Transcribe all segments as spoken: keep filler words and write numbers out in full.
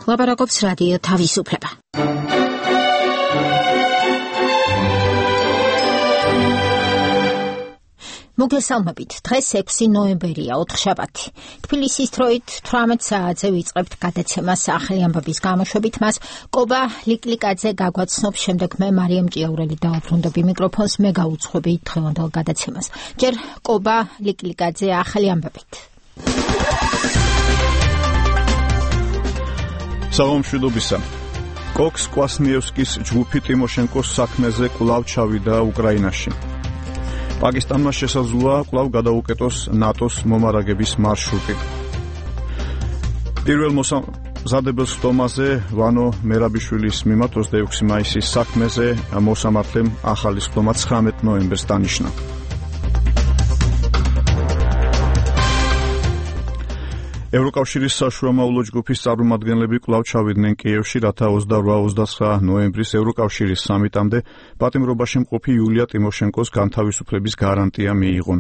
ლაპარაკობს რადიო თავისუფლება. მოგესალმებით, დღეს ექვსი ნოემბერია, ოთხშაბათი. თბილისის დროით თვრამეტ საათზე ვიწყებთ გადაცემას ახალი ამბების გამოშვებით. მას კობა ლიკლიკაძე გაგვაცნობს, შემდეგ მე მარიამ ჭიაურელი დავუბრუნდები მიკროფონს, მე გავუძღვები დღევანდელ გადაცემას. ჯერ კობა ლიკლიკაძე ახალი ამბებით. საღამომშვიდობისა. კოქს კვასნიევსკის ჯგუფი ტიმოშენკოს საქმეზე კვლავ ჩავიდა უკრაინაში. პაკისტანმა შესაძლოა კვლავ გადაუკეტოს ნატოს მომარაგების მარშრუტი. პირველ მოსამზადებელ სტომაზე ვანო მერაბიშვილის მიმართ ოცდაექვსი მაისის საქმეზე მოსამართლემ ახალი სტომა ცხრამეტ ნოემბერს დანიშნა. ევროკავშირის საშუალომავლო ჯგუფის წარმომადგენლები კვლავ ჩავიდნენ კიევში, რათა ოცდაოთხ ოცდაცხრა ნოემბრის ევროკავშირის სამიტამდე პატიმრობაში მყოფი იულია ტიმოშენკოს განთავისუფლების გარანტია მიიღონ.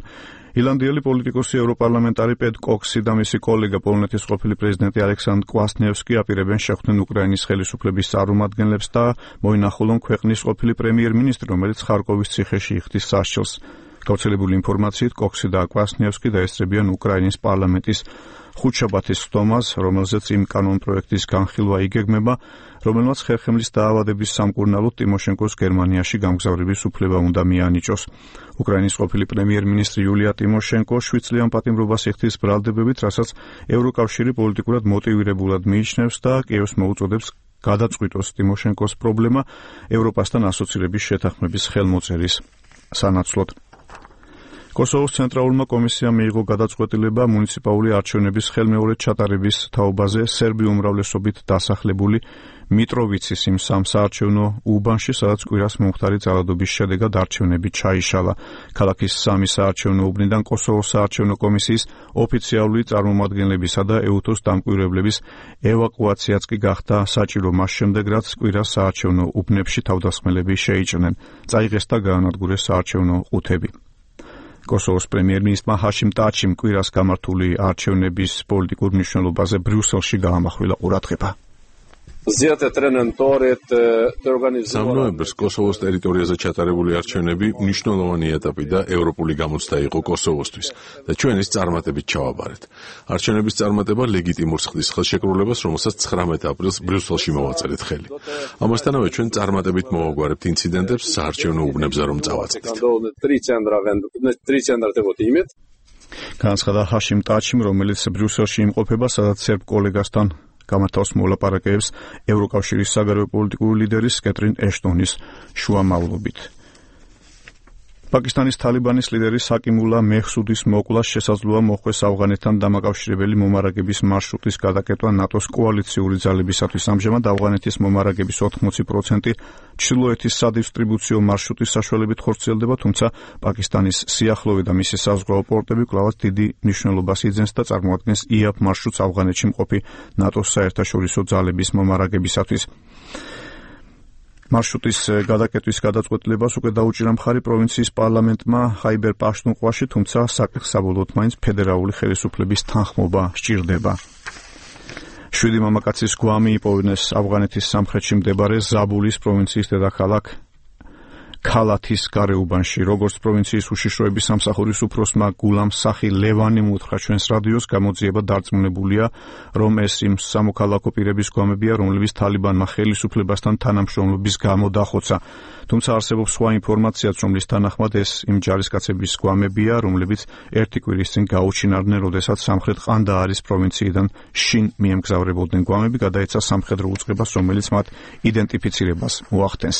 ირლანდიელი პოლიტიკოსი ევროპარლამენტარი პედ კოქსი და მისი კოლეგა პოლონეთის ყოფილი პრეზიდენტი ალექსანდრ კვასნიევსკი აპირებენ შეხვდნენ უკრაინის ხელისუფლების წარმომადგენლებს და მოინახულონ ქვეყნის ყოფილი პრემიერ-მინისტრი, რომელიც ხარკოვის ციხეში იხდის სასჯელს. გავრცელებული ინფორმაციით კოქსი და კვასნიევსკი დაესწრებიან უკრაინის პარლამენტის ხუთშაბათის სტომას, რომელზეც იმ კანონპროექტის განხილვა იგეგმება, რომელმაც ხერხემლის დაავადების სამკურნალოდ ტიმოშენკოს გერმანიაში გამგზავრების უფლება უნდა მიანიჭოს. უკრაინის ყოფილი პრემიერ-მინისტრი იულია ტიმოშენკო შვიდწლიან პატიმრობას იხდის ბრალდებებით, რასაც ევროკავშირი პოლიტიკურად მოტივირებულად მიიჩნევს და კიევს მოუწოდებს გადაწყვიტოს ტიმოშენკოს პრობლემა ევროპასთან ასოცირების შეთანხმების ხელმოწერის სანაცვლოდ. კოსოვოს ცენტრალურმა კომისიამ მიიღო გადაწყვეტილება მუნიციპალური არჩევნების ხელმეორედ ჩატარების თაობაზე სერბი უმრავლესობით დასახლებული მიტროვიცის იმ სამ საარჩევნო უბანში, სადაც კვირას მომხდარი ძალადობის შედეგად არჩევნები ჩაიშალა. ქალაქის სამი საარჩევნო უბნიდან კოსოვოს საარჩევნო კომისიის ოფიციალური წარმომადგენლებისა და ეუთოს დამკვირვებლების ევაკუაციაც კი გახდა საჭირო მას შემდეგ, რაც კვირას საარჩევნო უბნებში თავდასხმელები შეიჭრნენ. წაიღეს და გაანადგურეს საარჩევნო ყუთები. კოსოვოს პრემიერ-მინისტრმა ჰაშიმ ტაჩიმ კვირას გამართული არჩევნების პოლიტიკურ მნიშვნელობაზე ბრიუსელში გაამახვილა ყურადღება. სამ ნოემბერს კოსოვოს ტერიტორიაზე ჩატარებული არჩევნები მნიშვნელოვანი ეტაპი და ევროპული გამოცდა იყო კოსოვოსთვის და ჩვენ ის წარმატებით ჩავაბარეთ. არჩევნების წარმატება ლეგიტიმურს ხდის ხელშეკრულებას, რომელსაც ცხრამეტ აპრილს ბრიუსელში მოვაწერეთ ხელი. ამასთანავე ჩვენ წარმატებით მოვაგვარებთ ინციდენტებს საარჩევნო უბნებზე რომ წავაწყდით. განაცხადა ჰაშიმ ტაჩიმ, რომელიც ბრიუსელში იმყოფება, სადაც სერბ კოლეგასთან გამართავს მოლაპარაკებებს ევროკავშირის საგარეო პოლიტიკური ლიდერის კეტრინ ეშტონის შუამავლობით. პაკისტანის თალიბანის ლიდერი საკიმულა მეჰსუდის მოკვლას შესაძლოა მოხდეს ავღანეთთან დამაკავშირებელი მომარაგების მარშრუტის გადაკეთვა ნატოს კოალიციური ძალებისათვის. ამჟამად ავღანეთის მომარაგების ოთხმოცი პროცენტი ჩრდილოეთის სადისტრიბუციო მარშრუტის საშუალებით ხორციელდება, თუმცა პაკისტანის სიახლოვე და მისი საზღვაო პორტები კვლავაც დიდი მნიშვნელობას იძენს და წარმოადგენს იაფ მარშრუტს ავღანეთში მყოფი ნატოს საერთაშორისო ძალების მომარაგებისათვის. მარშრუტის გადაკეტვის გადაწყვეტილებას უკვე დაუჭირა მხარი პროვინციის პარლამენტმა ხაიბერ პაშტუნხვაში, თუმცა საკითხს საბოლოოდ მაინც ფედერალური ხელისუფლების თანხმობა სჭირდება. შვიდი მამაკაცის გვამი იპოვეს ავღანეთის სამხრეთში მდებარე ზაბულის პროვინციის დედაქალაქ ქალათის გარეუბანში. როგორც პროვინციის უშიშროების სამსახურის უფროსმა გულამ სახი ლევანი მოუთხრა ჩვენს რადიოს, გამოძიება დარწმუნებულია, რომ ეს იმ სამოქალაქო პირების გვამებია, რომლებიც თალიბანმა ხელისუფლებასთან თანამშრომლობის გამო დახოცა. თუმცა არსებობს სხვა ინფორმაციაც, რომლის თანახმად ეს იმ ჯარისკაცების გვამებია, რომლებიც ერთი კვირის წინ გაუჩინარდნენ, როდესაც სამხრეთ ყანდაარის პროვინციიდან შინ მიემგზავრებოდნენ. გვამები გადაეცა სამხედრო უწყებას, რომელიც მათ იდენტიფიცირებას მოახდენს.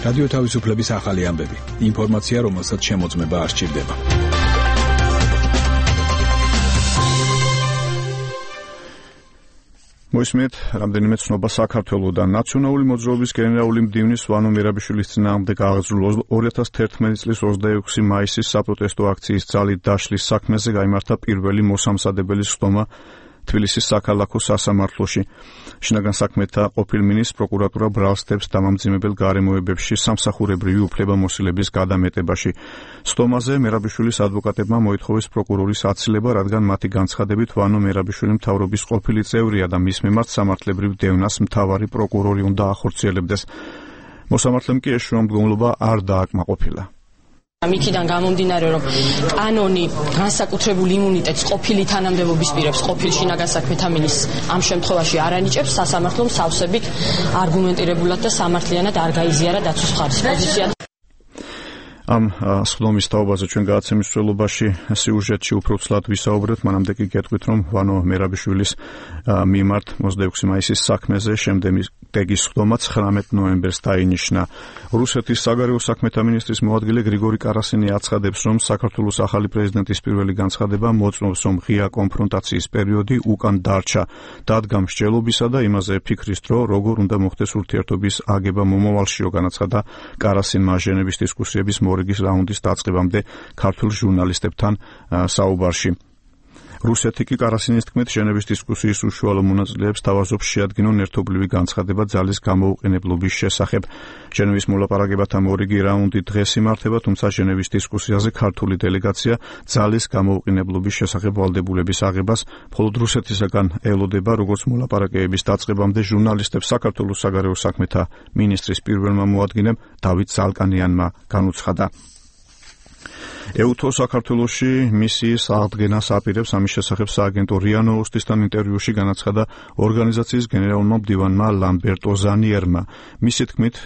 რადიო თავისუფლების ახალი ამბები. ინფორმაცია, რომელსაც შემოწმება არ სჭირდება. მოისმენთ რამდენიმე ცნობა საქართველოსთან. ნაციონალური მოძრაობის გენერალური მდივნის ვანო მერაბიშვილის წინააღმდეგ აღძრულ ორი ათას თერთმეტი წლის ოცდაექვსი მაისის საპროტესტო აქციის ძალით დაშლის საქმეზე გაიმართა პირველი მოსამზადებელი სტომა თბილისის საქალაქო სასამართლოში. შინაგან საქმეთა ყოფილ მინისტრს პროკურატურა ბრალს დებს დამამძიმებელ გარემოებებში სამსახურებრივი უფლებამოსილების გადამეტებაში. სტომაზე მერაბიშვილის ადვოკატებმა მოითხოვეს პროკურორის აცილება, რადგან მათი განცხადებით ვანო მერაბიშვილი მთავრობის ყოფილი წევრია და მის მიმართ სამართლებრივ დევნას მთავარი პროკურორი უნდა ახორციელებდეს. მოსამართლემ კი ეს შრომდგომლობა არ დააკმაყოფილა. Მიქიდან გამომდინარე, რომ კანონი განსაკუთრებულ იმუნიტეტს ყოფილი თანამდებობის პირებს, ყოფილ შინაგან საქმეთა მინისტრს ამ შემთხვევაში არ ანიჭებს, სასამართლომ სავსებით არგუმენტირებულად და სამართლიანად არ გაიზიარა დაცვის მხარის პოზიცია. ამ სხდომის თაობაზე ჩვენ გადაცემის მსვლელობაში სიუჟეტში უფრო ცლად ვისაუბრეთ, მანამდე კი გეტყვით, რომ ვანო მერაბიშვილის მიმართ ოცდაექვსი მაისის საქმეზე შემდეგი სხდომა ცხრამეტ ნოემბერს დაინიშნა. რუსეთის საგარეო საქმეთა მინისტრის მოადგილე გრიგორი კარასინი აცხადებს, რომ საქართველოს ახალი პრეზიდენტის პირველი განცხადება მოწმობს, რომ ღია კონფრონტაციის პერიოდი უკან დარჩა. დადგა მსჯელობისა და იმაზე ფიქრის დრო, როგორ უნდა მოხდეს ურთიერთობის აგება მომავალშიო, განაცხადა კარასინმა ჟენევის დისკუსიების მორიგის რაუნდის დაწყებამდე ქართულ ჟურნალისტებთან საუბარში. რუსეთი კი კარასინის თქმით ჟენევის დისკუსიის უშუალო მონაწილეებს თავაზობს შეადგინონ ერთობლივი განცხადება ძალის გამოუყენებლობის შესახებ. ჟენევის მოლაპარაკებათა მორიგი რაუნდი დღეს იმართება, თუმცა ჟენევის დისკუსიაზე ქართული დელეგაცია ძალის გამოუყენებლობის შესახებ ვალდებულების აღებას მხოლოდ რუსეთისაგან ელოდება, როგორც მოლაპარაკებების დაწყებამდე ჟურნალისტებს საქართველოს საგარეო საქმეთა მინისტრის პირველმა მოადგილემ დავით ზალკანიანმა განუცხადა. ეუთო საქართველოში მისიის აღდგენას აპირებს, ამის შესახებ სააგენტო რია ნოუსტისთან ინტერვიუში განაცხადა ორგანიზაციის გენერალურმა მდივანმა ლამბერტო ზანიერმა. მისი თქმით,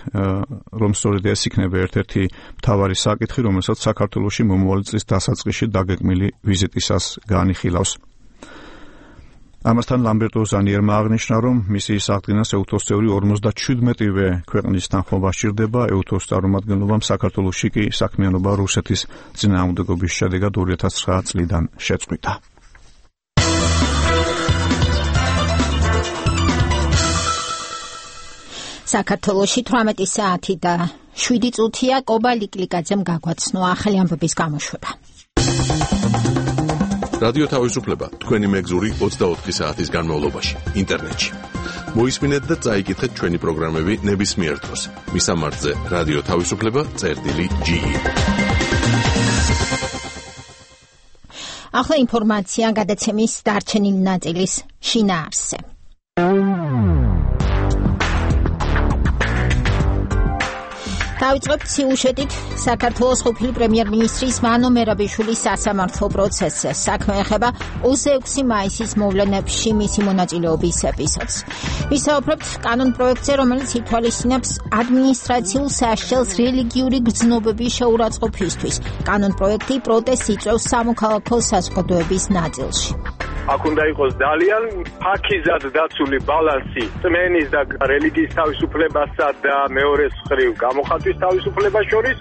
რომ სწორედ ეს იქნება ერთ-ერთი მთავარი საკითხი, რომელსაც საქართველოში მომავალი წლის დასაწყისში დაგეგმილი ვიზიტისას განიხილავს. ამასთან ლამბერტო ზანიერმა აღნიშნა, რომ მისიის აღდგენას ეუთოს წევრი ორმოცდაჩვიდმეტივე ქვეყნის თანხმობა სჭირდება. ეუთოს წარმომადგენლობამ საქართველოში კი საქმიანობა რუსეთის წინააღმდეგობის შედეგად ორი ათას ცხრა წლიდან შეწყვიტა. საქართველოში თვრამეტი საათი და შვიდი წუთია. კობა ლიკლიკაძემ გაგვაცნო ახალი ამბების გამოშვება. რადიო თავისუფლება თქვენი მეგზური ოცდაოთხი საათის განმავლობაში ინტერნეტში. მოისმინეთ და წაიკითხეთ ჩვენი პროგრამები ნებისმიერ დროს. მისამართზე რადიო თავისუფლება წერტილი ჯი. ახლა ინფორმაცია გადაცემის დარჩენილი ნაწილის შინაარსზე. დავიწყებთ სიუჟეტით საქართველოს ყოფილი პრემიერ-მინისტრის ვანო მერაბიშვილის სასამართლო პროცესზე. საქმე ეხება ოცდაექვსი მაისის მოვლენებში მისი მონაწილეობის ეპიზოდს. ვისაუბრებთ კანონ პროექტზე, რომელიც ითვალისწინებს ადმინისტრაციულ სასჯელს რელიგიური გრძნობების შეურაცხყოფისთვის. კანონ პროექტი პროტესტს იწვევს სამოქალაქო საზოგადოების ნაწილში. აქ უნდა იყოს ძალიან ფაქიზად დაცული ბალანსი წმენის და რელიგიის თავისუფლებასა და მეორეს მხრივ გამოხატვის თავისუფლებას შორის.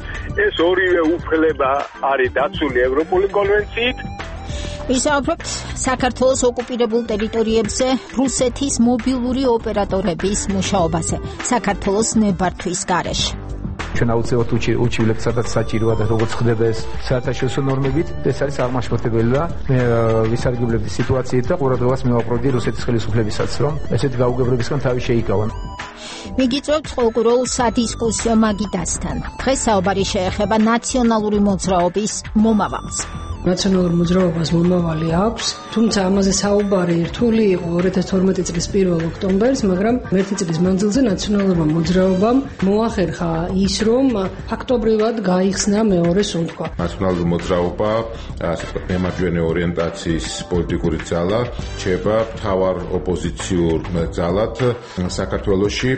ეს ორივე უფლება არის დაცული ევროპული კონვენციით. ვისაუბრებთ საქართველოს ოკუპირებულ ტერიტორიებზე რუსეთის მობილური ოპერატორების მუშაობაზე საქართველოს ნებართვის გარეშე. ჩვენ აუცილებლად უჩივლებთ, სადაც საჭიროა და როგორც ხდება ეს საერთაშორისო ნორმებით, ეს არის აღმაშფოთებელი და მე ვისარგებლებ სიტუაციით და ყურადღებას მივაპყრობდი რუსეთის ხელისუფლებისაც, რომ ესეთი გაუგებრებისგან თავი შეიკავონ. მიგიწევთ ყოველდღიურ სადისკუსიო მაგიდასთან. დღეს საუბარი შეეხება ნაციონალური მოძრაობის მომავალს. ნაციონალურ მოძრაობას მომავალი აქვს, თუმცა ამაზე საუბარი რთული იყო ორი ათას თორმეტი წლის პირველ ოქტომბერს, მაგრამ ერთი წლის მანძილზე ნაციონალურმა მოძრაობამ მოახერხა ის, რომ ფაქტობრივად გაიხსნა მეორე სუნთქვა. ნაციონალური მოძრაობა, ასე ვთქვათ, მემარჯვენე ორიენტაციის პოლიტიკური ძალა, რჩება მთავარ ოპოზიციურ ძალად საქართველოში.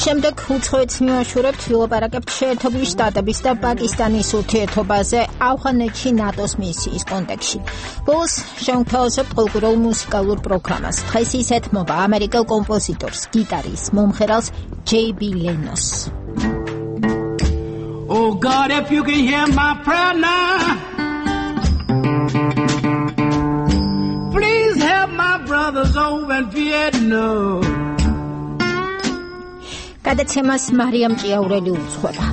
შემდეგ უცხოეთს მივაშურებთ, ვილაპარაკებთ შეერთებული შტატების და პაკისტანის ურთიერთობაზე ავღანეთში ნატოს მისიის კონტექსტში. ბოლოს შევთავაზებთ ყოველდღიურ მუსიკალურ პროგრამას. დღეს ის ეთმობა ამერიკელ კომპოზიტორს, გიტარის მომხერალს ჯეი ბი ლენოს. Oh God, if you can hear my prayer now, please help my brothers over in Vietnam. გადაცემას მარიამ ჭიაურელი უძღვება.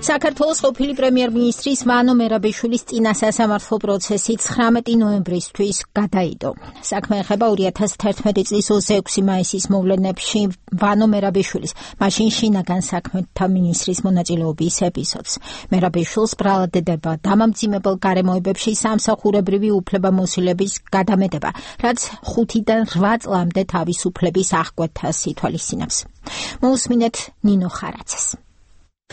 საქართველოს ყოფილი პრემიერ-მინისტრის ვანო მერაბიშვილის წინა სასამართლო პროცესი ცხრამეტი ნოემბრისთვის გადაიდო. საქმე ეხება ორი ათას თერთმეტი წლის ოცდაექვსი მაისის მოვლენებში ვანო მერაბიშვილის, მაშინ შინაგან საქმეთა მინისტრის მონაწილეობის ეპიზოდს. მერაბიშვილს ბრალდება დამამძიმებელ გარემოებებში სამსახურებრივი უფლებამოსილების გადამეტება, რაც ხუთიდან რვა წლამდე თავისუფლების აღკვეთას ითვალისწინებს. მოусმინეთ ნინო ხარაძეს.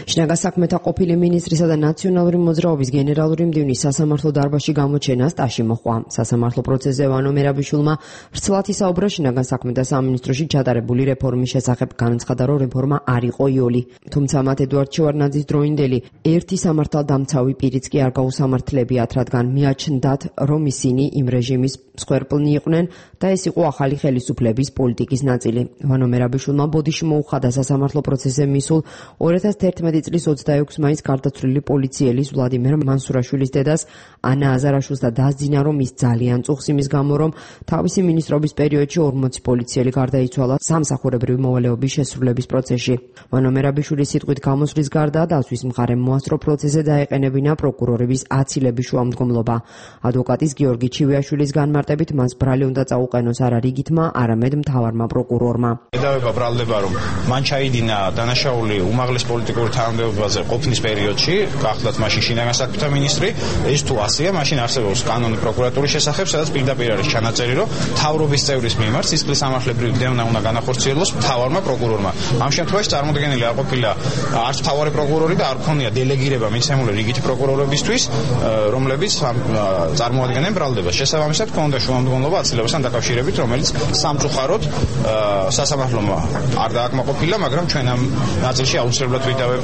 შინაგან საქმეთა ყოფილი მინისტრისა და ნაციონალური მოძრაობის გენერალური მდივნის სასამართლო დარბაზში გამოჩენა სტაში მოჰყვა. სასამართლო პროცესზე ვანო მერაბიშვილმა ვრცლად ისაუბრა შინაგან საქმეთა სამინისტროში ჩატარებული რეფორმის შესახებ, განაცხადა, რომ რეფორმა არ იყო იოლი. თუმცა მათ ედუარდ შევარდნაძის დროინდელი ერთი სამართალდამცავი პირიც კი არ გაუსამართლებიათ, რადგან მიაჩნდათ, რომ ისინი იმ რეჟიმის მსხვერპლნი იყვნენ და ეს იყო ახალი ხელისუფლების პოლიტიკის ნაწილი. ვანო მერაბიშვილმა ბოდიში მოუხადა სასამართლო პროცესზე მისულ ორი ათას თერთმეტი წლის ოცდაექვსი მაისს გარდაცვლილი პოლიციელის ვლადიმერ მანსურაშვილის დედას ანა აზარაშვილს და დასძინა, რომ ის ძალიან წუხს იმის გამო, რომ თავისი მინისტრობის პერიოდში ორმოცი პოლიციელი გარდაიცვალა სამსახურებრივი მოვალეობის შესრულების პროცესში. ვანო მერაბიშვილის სიტყვით გამოსვლის გარდა დაცვის მხარემ მოასწრო პროცესზე დაეყენებინა პროკურორების აცილების შუამდგომლობა. ადვოკატის გიორგი ჩივიაშვილის განმარტებით მას ბრალი უნდა წაუყენოს არა რიგითმა, არამედ მთავარმა პროკურორმა. ედავება ბრალდება, რომ მან ჩაიდინა დანაშაული უმაღლეს პოლიტიკურ თანამდებობაზე ყოფნის პერიოდში, გახლდათ მაშინ შინაგან საქმეთა მინისტრი. ეს თუ ასეა, მაშინ არსებობს კანონი პროკურატურის შესახებ, სადაც პირდაპირ არის ჩანაწერი, რომ მთავრობის წევრის მიმართ სისხლის სამართლებრივი დევნა უნდა განახორციელოს მთავარმა პროკურორმა. ამ შემთხვევაში წარმოდგენილი არ ყოფილა არც მთავარი პროკურორი და არ ქონია დელეგირება მიცემული რიგითი პროკურორებისთვის, რომლებიც წარმოადგენენ ბრალდებას. შესაბამისად, ქონდა შუამდგომლობა აცილებასთან დაკავშირებით, რომელიც სამწუხაროდ სასამართლომ არ დააკმაყოფილა, მაგრამ ჩვენ ამ ნაწილში აუცილებლად ვიდავებ.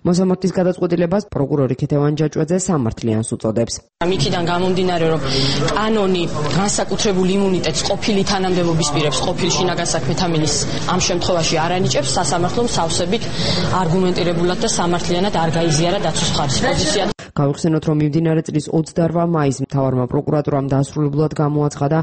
მოსამართლის გადაწყვეტილებას პროკურორი ქეთევან ჯაჭვაძე სამართლიანს უწოდებს. იქიდან გამომდინარე, რომ კანონი განსაკუთრებულ იმუნიტეტს ყოფილი თანამდებობის პირებს, ყოფილი შინაგან საქმეთა მინისტრს ამ შემთხვევაში არ ანიჭებს, სასამართლომ სავსებით არგუმენტირებულად და სამართლიანად არ გაიზიარა დაცვის მხარის პოზიცია. გავიხსენოთ, რომ მიმდინარე წლის ოცდაორ მაისს მთავარმა პროკურატურამ დასრულებულად გამოაცხადა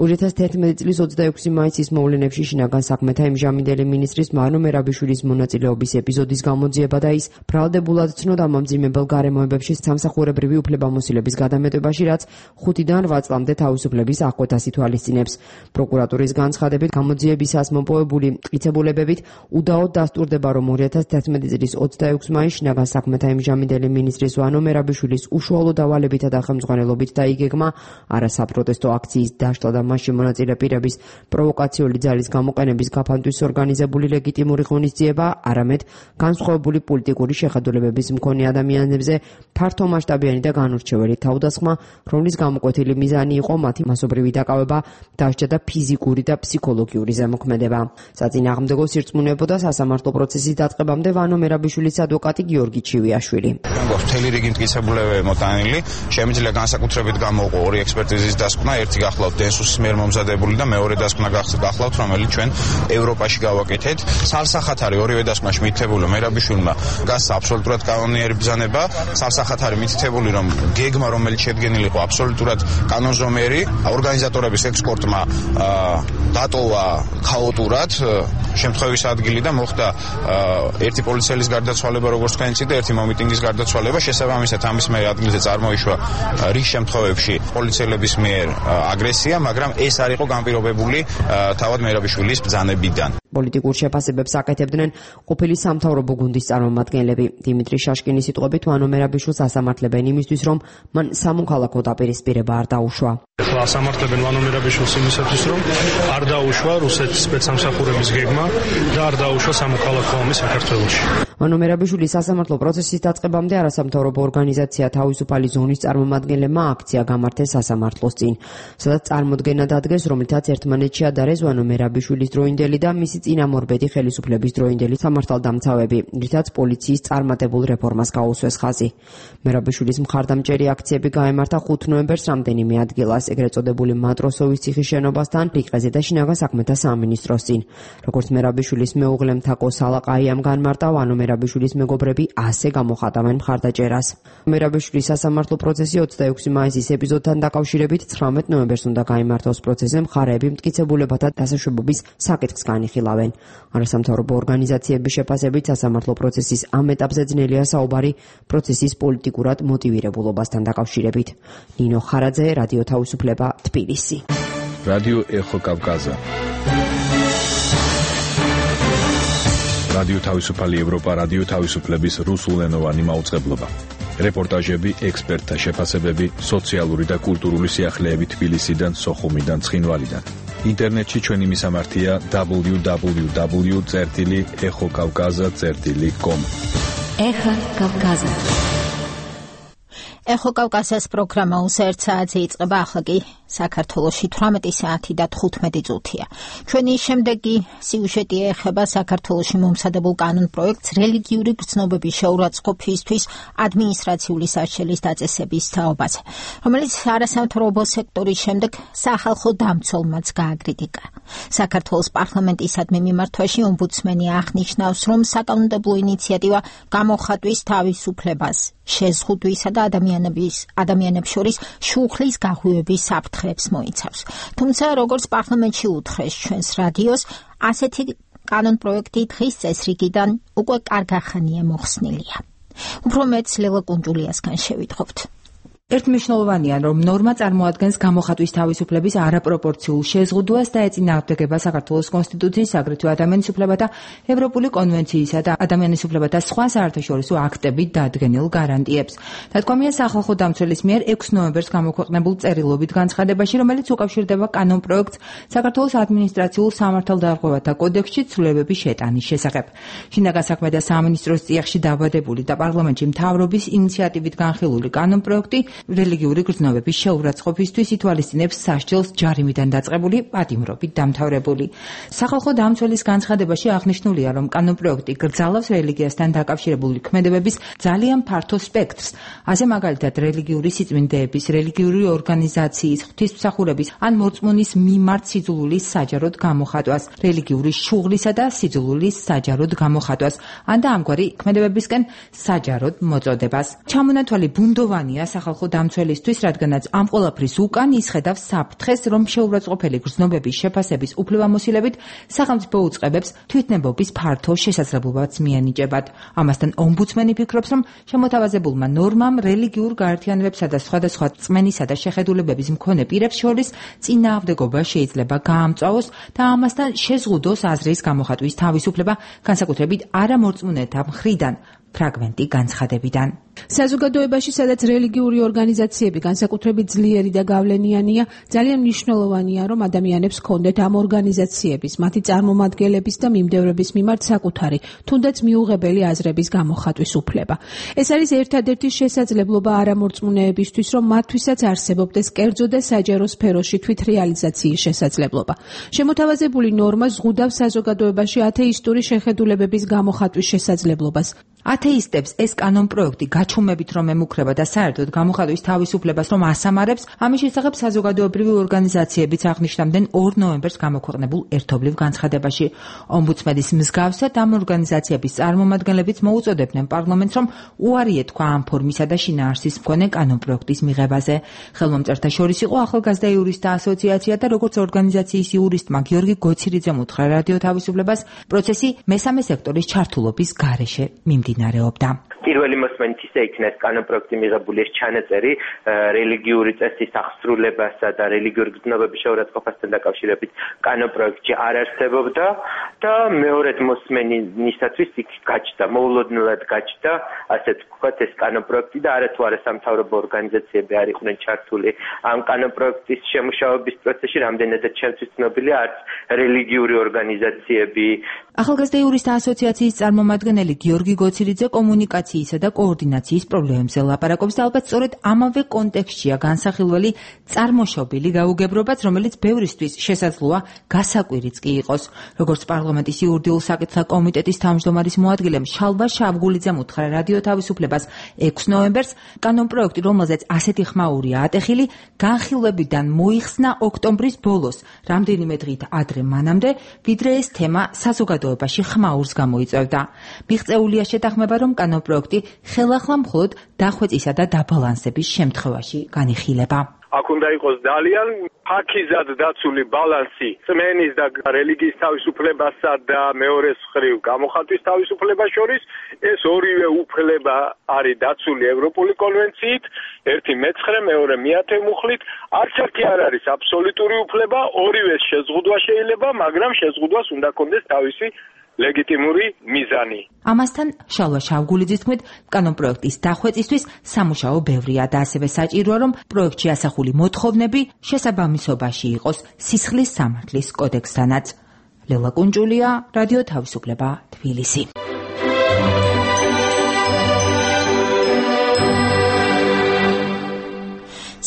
ორი ათას თერთმეტი წლის ოცდაექვსი მაისის მოვლენებში შინაგან საქმეთა იმჟამინდელი მინისტრის ვანო მერაბიშვილის მონაწილეობის ეპიზოდის გამოძიება და ის ბრალდებულად ცნო დამამძიმებელ გარემოებებში სამსახურებრივი უფლებამოსილების გადამეტებაში, რაც ხუთიდან რვა წლამდე თავისუფლების აღკვეთას ითვალისწინებს. პროკურატურის განცხადებით, გამოძიებისას მოპოვებული მტკიცებულებებით უდაოდ დასტურდება, რომ ორი ათას თერთმეტი წლის ოცდაექვსი მაისს შინაგან საქმეთა იმჟამინდელი მინისტრის ვანო მერაბიშვილის უშუალო დავალებითა და ხელმძღვანელობით დაიგეგმა არასაპროტესტო აქციის დაშლა და მასში მონაწილე პირების პროვოკაციული ძალის გამოყენების გაფანტვის ორგანიზებული ლეგიტიმური ღონისძიება, არამედ განსხვავებული პოლიტიკური შეხედულებების მქონე ადამიანებზე ფართომასშტაბიანი და განურჩეველი თავდასხმა, რომლის გამოკვეთილი მიზანი იყო მათი მასობრივი დაკავება, დასჯა და ფიზიკური და ფსიქოლოგიური ზემოქმედება. საწინააღმდეგო სირწმუნეებოდა სასამართლო პროცესის დაწყებამდე ვანო მერაბიშვილის ადვოკატი გიორგი ჩივიაშვილი. მთელი რიგი მტკიცებულებები მოტანილი, შემიძლია განსაკუთრებით გამოვყო ორი ექსპერტიზის დასკვნა, ერთი გახლავთ დენსუსის მიერ მომზადებული და მეორე დასკვნა გახლავთ, რომელიც ჩვენ ევროპაში გავაკეთეთ. სალსახად არის ორივე დასკვნაში მითითებული, მერაბიშვილმა გასცა აბსოლუტურად კანონიერი ბრძანება, სალსახად არის მითითებული, რომ გეგმა, რომელიც შედგენილი იყო აბსოლუტურად კანონზომიერი, ორგანიზატორების ექსპორტმა დატოვა ქაოტურად შემთხვევის ადგილი და მოხდა ერთი პოლიციელის გარდაცვალება, როგორც თქვენ იცით, და ერთი მომიტინგის გარდაცვალება. შესაბამისად, ამის მე ადგილზე წარმოიშვა რიგ შემთხვევებში პოლიციელების მიერ აგრესია, მაგრამ ეს არ იყო განპირობებული თავად მერაბიშვილის ბრძანებიდან. პოლიტიკურ შეფასებებს აკეთებდნენ ყოფილი სამთავრობო გუნდის წარმომადგენლები. დიმიტრი შაშკინის სიტყვებით, ვანო მერაბიშვილს ასამართლებენ იმისთვის, რომ მან სამოქალაქო დაპირისპირება არ დაუშვა. ახლა ასამართლებენ ვანო მერაბიშვილს იმისათვის, რომ არ დაუშვა რუსეთის სპეცსამსახურების გეგმა და არ დაუშვა სამოქალაქო ომი საქართველოში. ვანო მერაბიშვილის სასამართლო პროცესის დაწყებამდე არასამთავრობო ორგანიზაცია თავისუფალი ზონის წარმომადგენლებმა აქცია გამართეს სასამართლოს წინ, სადაც წარმოდგენა დადგეს, რომლითაც ერთმანეთში ადარეს ვანო მერაბიშვილის დროინდელი და მისი წინამორბედი ხელისუფლების დროინდელი სამართალდამცავები, რითაც პოლიციის წარმატებულ რეფორმას გაუსვეს ხაზი. მერაბიშვილის მხარდამჭერი აქციები გაემართა ხუთ ნოემბერს რამდენიმე ადგილას, ეგრეთ წოდებული მატროსოვის ციხის შენობასთან, რიყეზე და შინაგან საქმეთა სამინისტროს წინ. როგორც მერაბიშვილის მეუღლე მთაკო სალაყაიამ განმარტა, ვანო მერაბიშვილის მეგობრები ასე გამოხატავენ მხარდაჭერას. მერაბიშვილის სასამართლო პროცესი ოცდაექვსი მაისის ეპიზოდთან დაკავშირებით ცხრამეტ ნოემბერს უნდა გაიმართოს. პროცესზე მხარეები მტკიცებულებათა დასაშვებობის საკითხს განიხილავენ. არასამთავრობო ორგანიზაციების შეფასებით სასამართლო პროცესის ამ ეტაპზე ძნელია საუბარი პროცესის პოლიტიკურად მოტივირებულობასთან დაკავშირებით. ნინო ხარაძე, რადიო თავისუფლება, თბილისი. რადიო ეხო კავკაზა. რადიო თავისუფალი ევროპა, რადიო თავისუფლების რუსულენოვანი მაუწყებლობა. რეპორტაჟები, ექსპერტთა შეფასებები, სოციალური და კულტურული სიახლეები თბილისიდან, სოხუმიდან, ცხინვალიდან. ინტერნეტში ჩვენი მისამართია დაბლიუ დაბლიუ დაბლიუ წერტილი ეხო კავკაზა წერტილი კომ. ეხო კავკაზა. ეხო კავკაზას პროგრამა უსერთ საათზე იწყება, ახლა კი საქართველოში თვრამეტი საათი და თხუთმეტი წუთია. ჩვენი შემდეგი სიუჟეტი ეხება საქართველოში მომსადებულ კანონპროექტს რელიგიური გრძნობების შეურაცხყოფისთვის ადმინისტრაციული საშელის დაწესების თაობაზე, რომელიც არასამთავრობო სექტორის შემდეგ სახალხო დამცველმაც გააკრიტიკა. საქართველოს პარლამენტისადმი მიმართვაში ომბუდსმენი აღნიშნავს, რომ საკანონმდებლო ინიციატივა გამოხატვის თავისუფლებას, შეზღუდვისა და ადამიანების ადამიანებს შორის შუხლის გაღვივების საფრთხეებს მოიცავს. თუმცა, როგორც პარლამენტში უთხრეს ჩვენს რადიოს, ასეთი კანონპროექტი დღის წესრიგიდან უკვე კარგახანია მოხსნილია. უფრო მეტს ლელა კუნჯულიასგან შევიტყობთ. ერთმნიშვნელოვანია, რომ ნორმა წარმოადგენს გამოხატვის თავისუფლების არაპროპორციულ შეზღუდვას და ეწინააღმდეგება საქართველოს კონსტიტუციის, აგრეთვე ადამიანის უფლებათა ევროპული კონვენციისა და ადამიანის უფლებათა სხვა საერთაშორისო აქტებით დადგენილ გარანტიებს. დადგომია სახალხო დამცველის მიერ ექვსი ნოემბერს გამოქვეყნებულ წერილობით განცხადებაში, რომელიც უკავშირდება კანონპროექტს საქართველოს ადმინისტრაციულ სამართალდარღვევათა კოდექსში ცვლილებების შეტანის შესახებ. შინაგან საქმეთა სამინისტროს წიაღში დაბადებული და პარლამენტში მთავრობის ინიციატივით განხილული კანონპროექტი რელიგიური გრძნობების შეურაცხყოფისთვის ითვალისწინებს სასჯელს ჯარიმიდან დაწყებული პატიმრობით დამთავრებული. სახალხო დამცველის განცხადებაში აღნიშნულია, რომ კანონპროექტი გრძალავს რელიგიასთან დაკავშირებული ქმედებების ძალიან ფართო სპექტრს, ასე მაგალითად რელიგიური სიწმინდეების, რელიგიური ორგანიზაციის, ღვთისმსახურების ან მორწმუნის მიმართ სიძულვილის საჯაროდ გამოხატვას, რელიგიური შუღლისა და სიძულვილის საჯაროდ გამოხატვას, ან და ამგვარი ქმედებებისკენ საჯაროდ მოწოდებას. ჩამონათვალი ბუნდოვანია სახალხო დამცველისთვის, რადგანაც ამ ყველაფრის უკან ისხედავს საფრთხეს, რომ შეურაცხყოფელი გრძნობების შეფასების უფლებამოსილებით სახელმწიფო უწყებებს თვითნებობის ფართო შესაძლებლობაც მიენიჭებათ. ამასთან ომბუდსმენი ფიქრობს, რომ შემოთავაზებულმა ნორმამ რელიგიურ გაერთიანებებსა და სხვადასხვა წმენისა და შეხედულებების მქონე პირებს შორის წინააღმდეგობა შეიძლება გაამწვავოს და ამასთან შეზღუდოს აზრის გამოხატვის თავისუფლება, განსაკუთრებით არამორწმუნეთა მხრიდან. ფრაგმენტი განცხადებიდან. საზოგადოებაში, სადაც რელიგიური ორგანიზაციები განსაკუთრებით ძლიერი და გავლენიანია, ძალიან მნიშვნელოვანია, რომ ადამიანებს ჰქონდეთ ამ ორგანიზაციების, მათი წარმომადგენლების და მიმდევრების მიმართ საკუთარი, თუნდაც მიუღებელი აზრების გამოხატვის უფლება. ეს არის ერთადერთი შესაძლებლობა არამორწმუნეებისთვის, რომ მათთვისაც არსებობდეს კერძო და საჯარო სფეროში თვითრეალიზაციის შესაძლებლობა. შემოთავაზებული ნორმა ზღუდავს საზოგადოებაში ათეისტური შეხედულებების გამოხატვის შესაძლებლობას. ათეისტებს ეს კანონპროექტი გაჩუმებით რომ ემუქრება და საერთოდ გამოხატვის თავისუფლებას რომ ასამარებს, ამის შესახებ საზოგადოებრივი ორგანიზაციებიც აღნიშნავდნენ ორ ნოემბერს გამოქვეყნებულ ერთობლივ განცხადებაში. ომბუდსმენის მსგავსად ამ ორგანიზაციების წარმომადგენლებიც მოუწოდებდნენ პარლამენტს, რომ უარი ეთქვა ამ ფორმისა და შინაარსის მქონე კანონპროექტის მიღებაზე. ხელმომწერთა შორის იყო ახალგაზრდა იურისტთა ასოციაცია და როგორც ორგანიზაციის იურისტმა გიორგი გოცირიძემ უთხრა რადიო თავისუფლებას, პროცესი მესამე სექტორის ჩართულობის გარეშე მიმდინარეობდა. პირველი მოსმენით ისე იქნა ეს კანონპროექტი მიღებული, ეს ჩანაწერი რელიგიური წესის აღსრულებასა და რელიგიური გრძნობების შეურაცხყოფასთან დაკავშირებით კანონპროექტში არ არსებობდა და მეორედ მოსმენისათვის იქ გაჩნდა, მოულოდნელად გაჩნდა, ასე ვთქვათ, ეს კანონპროექტი და არათუ არა სამთავრობო ორგანიზაციები არ იყვნენ ჩართული ამ კანონპროექტის შემუშავების პროცესში, რამდენადაც ჩემთვის ცნობილია, არც რელიგიური ორგანიზაციები. ახალგაზრდა იურისტთა ასოციაციის წარმომადგენელი გიორგი გოცირიძე კომუნიკაციისა და კოორდინაციის პრობლემებზე ლაპარაკობს და ალბათ სწორედ ამავე კონტექსტშია განსახილველი წარმოშობილი გაუგებრობაც, რომელიც ბევრისთვის შესაძლოა გასაკვირიც კი იყოს. როგორც პარლამენტის იურიდიულ საკითხთა კომიტეტის თავმჯდომარის მოადგილემ შალვა შავგულიძემ უთხრა რადიო თავისუფლებას ექვსი ნოემბერს, კანონპროექტი, რომელზეც ასეთი ხმაურია ატეხილი, განხილვებიდან მოიხსნა ოქტომბრის ბოლოს, რამდენიმე დღით ადრე მანამდე, ვიდრე ეს თემა საზოგადოებრივ საზოგადოებაში ხმაურს გამოიწვევდა. მიღწეულია შეთანხმება, რომ კანონპროექტი ხელახლა მხოლოდ დახვეწისა და დაბალანსების შემთხვევაში განიხილება. აქ უნდა იყოს ძალიან ფაქიზად დაცული ბალანსი წმენის და რელიგიის თავისუფლებასა და მეორეს მხრივ გამოხატვის თავისუფლებას შორის. ეს ორივე უფლება არის დაცული ევროპული კონვენციით, ერთი მეცხრე, მეორე მეათე მუხლით. არც ერთი არ არის აბსოლუტური უფლება, ორივეს შეზღუდვა შეიძლება, მაგრამ შეზღუდვას უნდა კონდეს თავისი ლეგიტიმური მიზანი. ამასთან შალვა შავგულიძის თქმით, კანონპროექტის დახვეწისთვის სამუშაო ბევრია და ასევე საჭიროა, რომ პროექტში ასახული მოთხოვნები შესაბამისობაში იყოს სისხლის სამართლის კოდექსთანაც. ლელა კუნჯულია, რადიო თავისუფლება, თბილისი.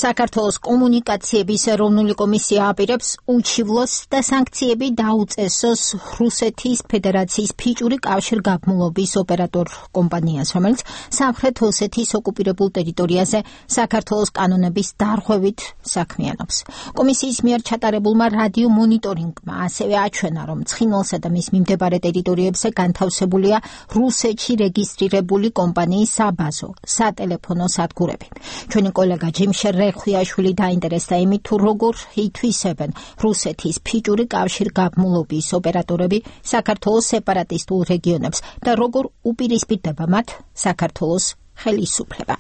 საქართველოს კომუნიკაციების ეროვნული კომისია აპირებს უჩივლოს და სანქციები დაუწესოს რუსეთის ფედერაციის ფიჭური კავშირგაბმულობის ოპერატორ კომპანიას, რომელიც სამხრეთ ოსეთის ოკუპირებულ ტერიტორიაზე საქართველოს კანონების დარღვევით საქმიანობს. კომისიის მიერ ჩატარებულმა რადიო მონიტორინგმა ასევე აჩვენა, რომ ცხინვალსა და მის მიმდებარე ტერიტორიებზე განთავსებულია რუსეთში რეგისტრირებული კომპანიის საბაზო, სატელეფონო სადგურები. ჩვენი კოლეგა ჯიმშერ ხვიაშვილი დაინტერესდა იმით, თუ როგორ ითვისებენ რუსეთის ფიჭური კავშირგაბმულობის ოპერატორები საქართველოს სეპარატისტულ რეგიონებს და როგორ უპირისპირდება მათ საქართველოს ხელისუფლება.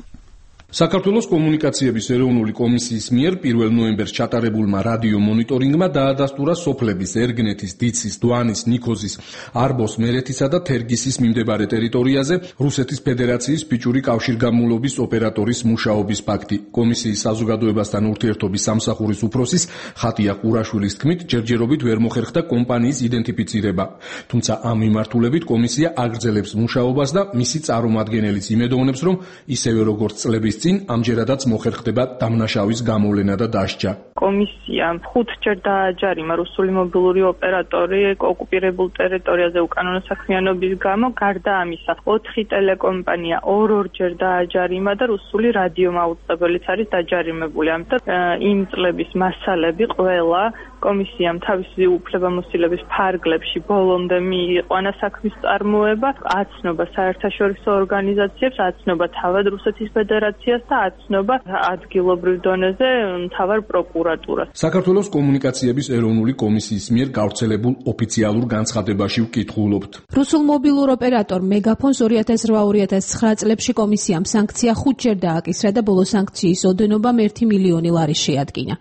საქართველოს კომუნიკაციების ეროვნული კომისიის მიერ პირველ ნოემბერს ჩატარებულმა რადიო მონიტორინგმა დაადასტურა სოფლების ერგნეთის, დიცის, დვანის, ნიქოზის, არბოს, მერეთისა და თერგისის მიმდებარე ტერიტორიაზე რუსეთის ფედერაციის ფიჭური კავშირგაბმულობის ოპერატორის მუშაობის ფაქტი. კომისიის საზოგადოებასთან ურთიერთობის სამსახურის უფროსის ხატია ყურაშვილის თქმით, ჯერჯერობით ვერ მოხერხდა კომპანიის იდენტიფიცირება. თუმცა ამ მიმართულებით კომისია აგრძელებს მუშაობას და მისი წარმომადგენელიც იმედოვნებს, რომ ისევე როგორც წლების წინ ამჯერადაც მოხერხდება დამნაშავის გამოვლენა და დასჯა. კომისიამ ხუთჯერ დააჯარიმა რუსული მობილური ოპერატორი ოკუპირებულ ტერიტორიაზე უკანონო საქმიანობის გამო. გარდა ამისა, ოთხი ტელეკომპანია ორ-ორჯერ დააჯარიმა და რუსული რადიო მაუწყებელიც არის დაჯარიმებული. ამიტომ იმ წლების მასალები ყველა კომისიამ თავისი უფლებამოსილების ფარგლებში ბოლომდე მიიყვანა საქმის წარმოება, აცნობა საერთაშორისო ორგანიზაციებს, აცნობა თავად რუსეთის ფედერაციას და აცნობა ადგილობრივ დონეზე მთავარ პროკურატურას. საქართველოს კომუნიკაციების ეროვნული კომისიის მიერ გავრცელებულ ოფიციალურ განცხადებაში ვკითხულობთ. რუსულ მობილურ ოპერატორ მეგაფონს ორი ათას რვა ორი ათას ცხრა წლებში კომისიამ სანქცია ხუთჯერ დააკისრა და ბოლო სანქციის ოდენობამ ერთი მილიონი ლარი შეადგინა.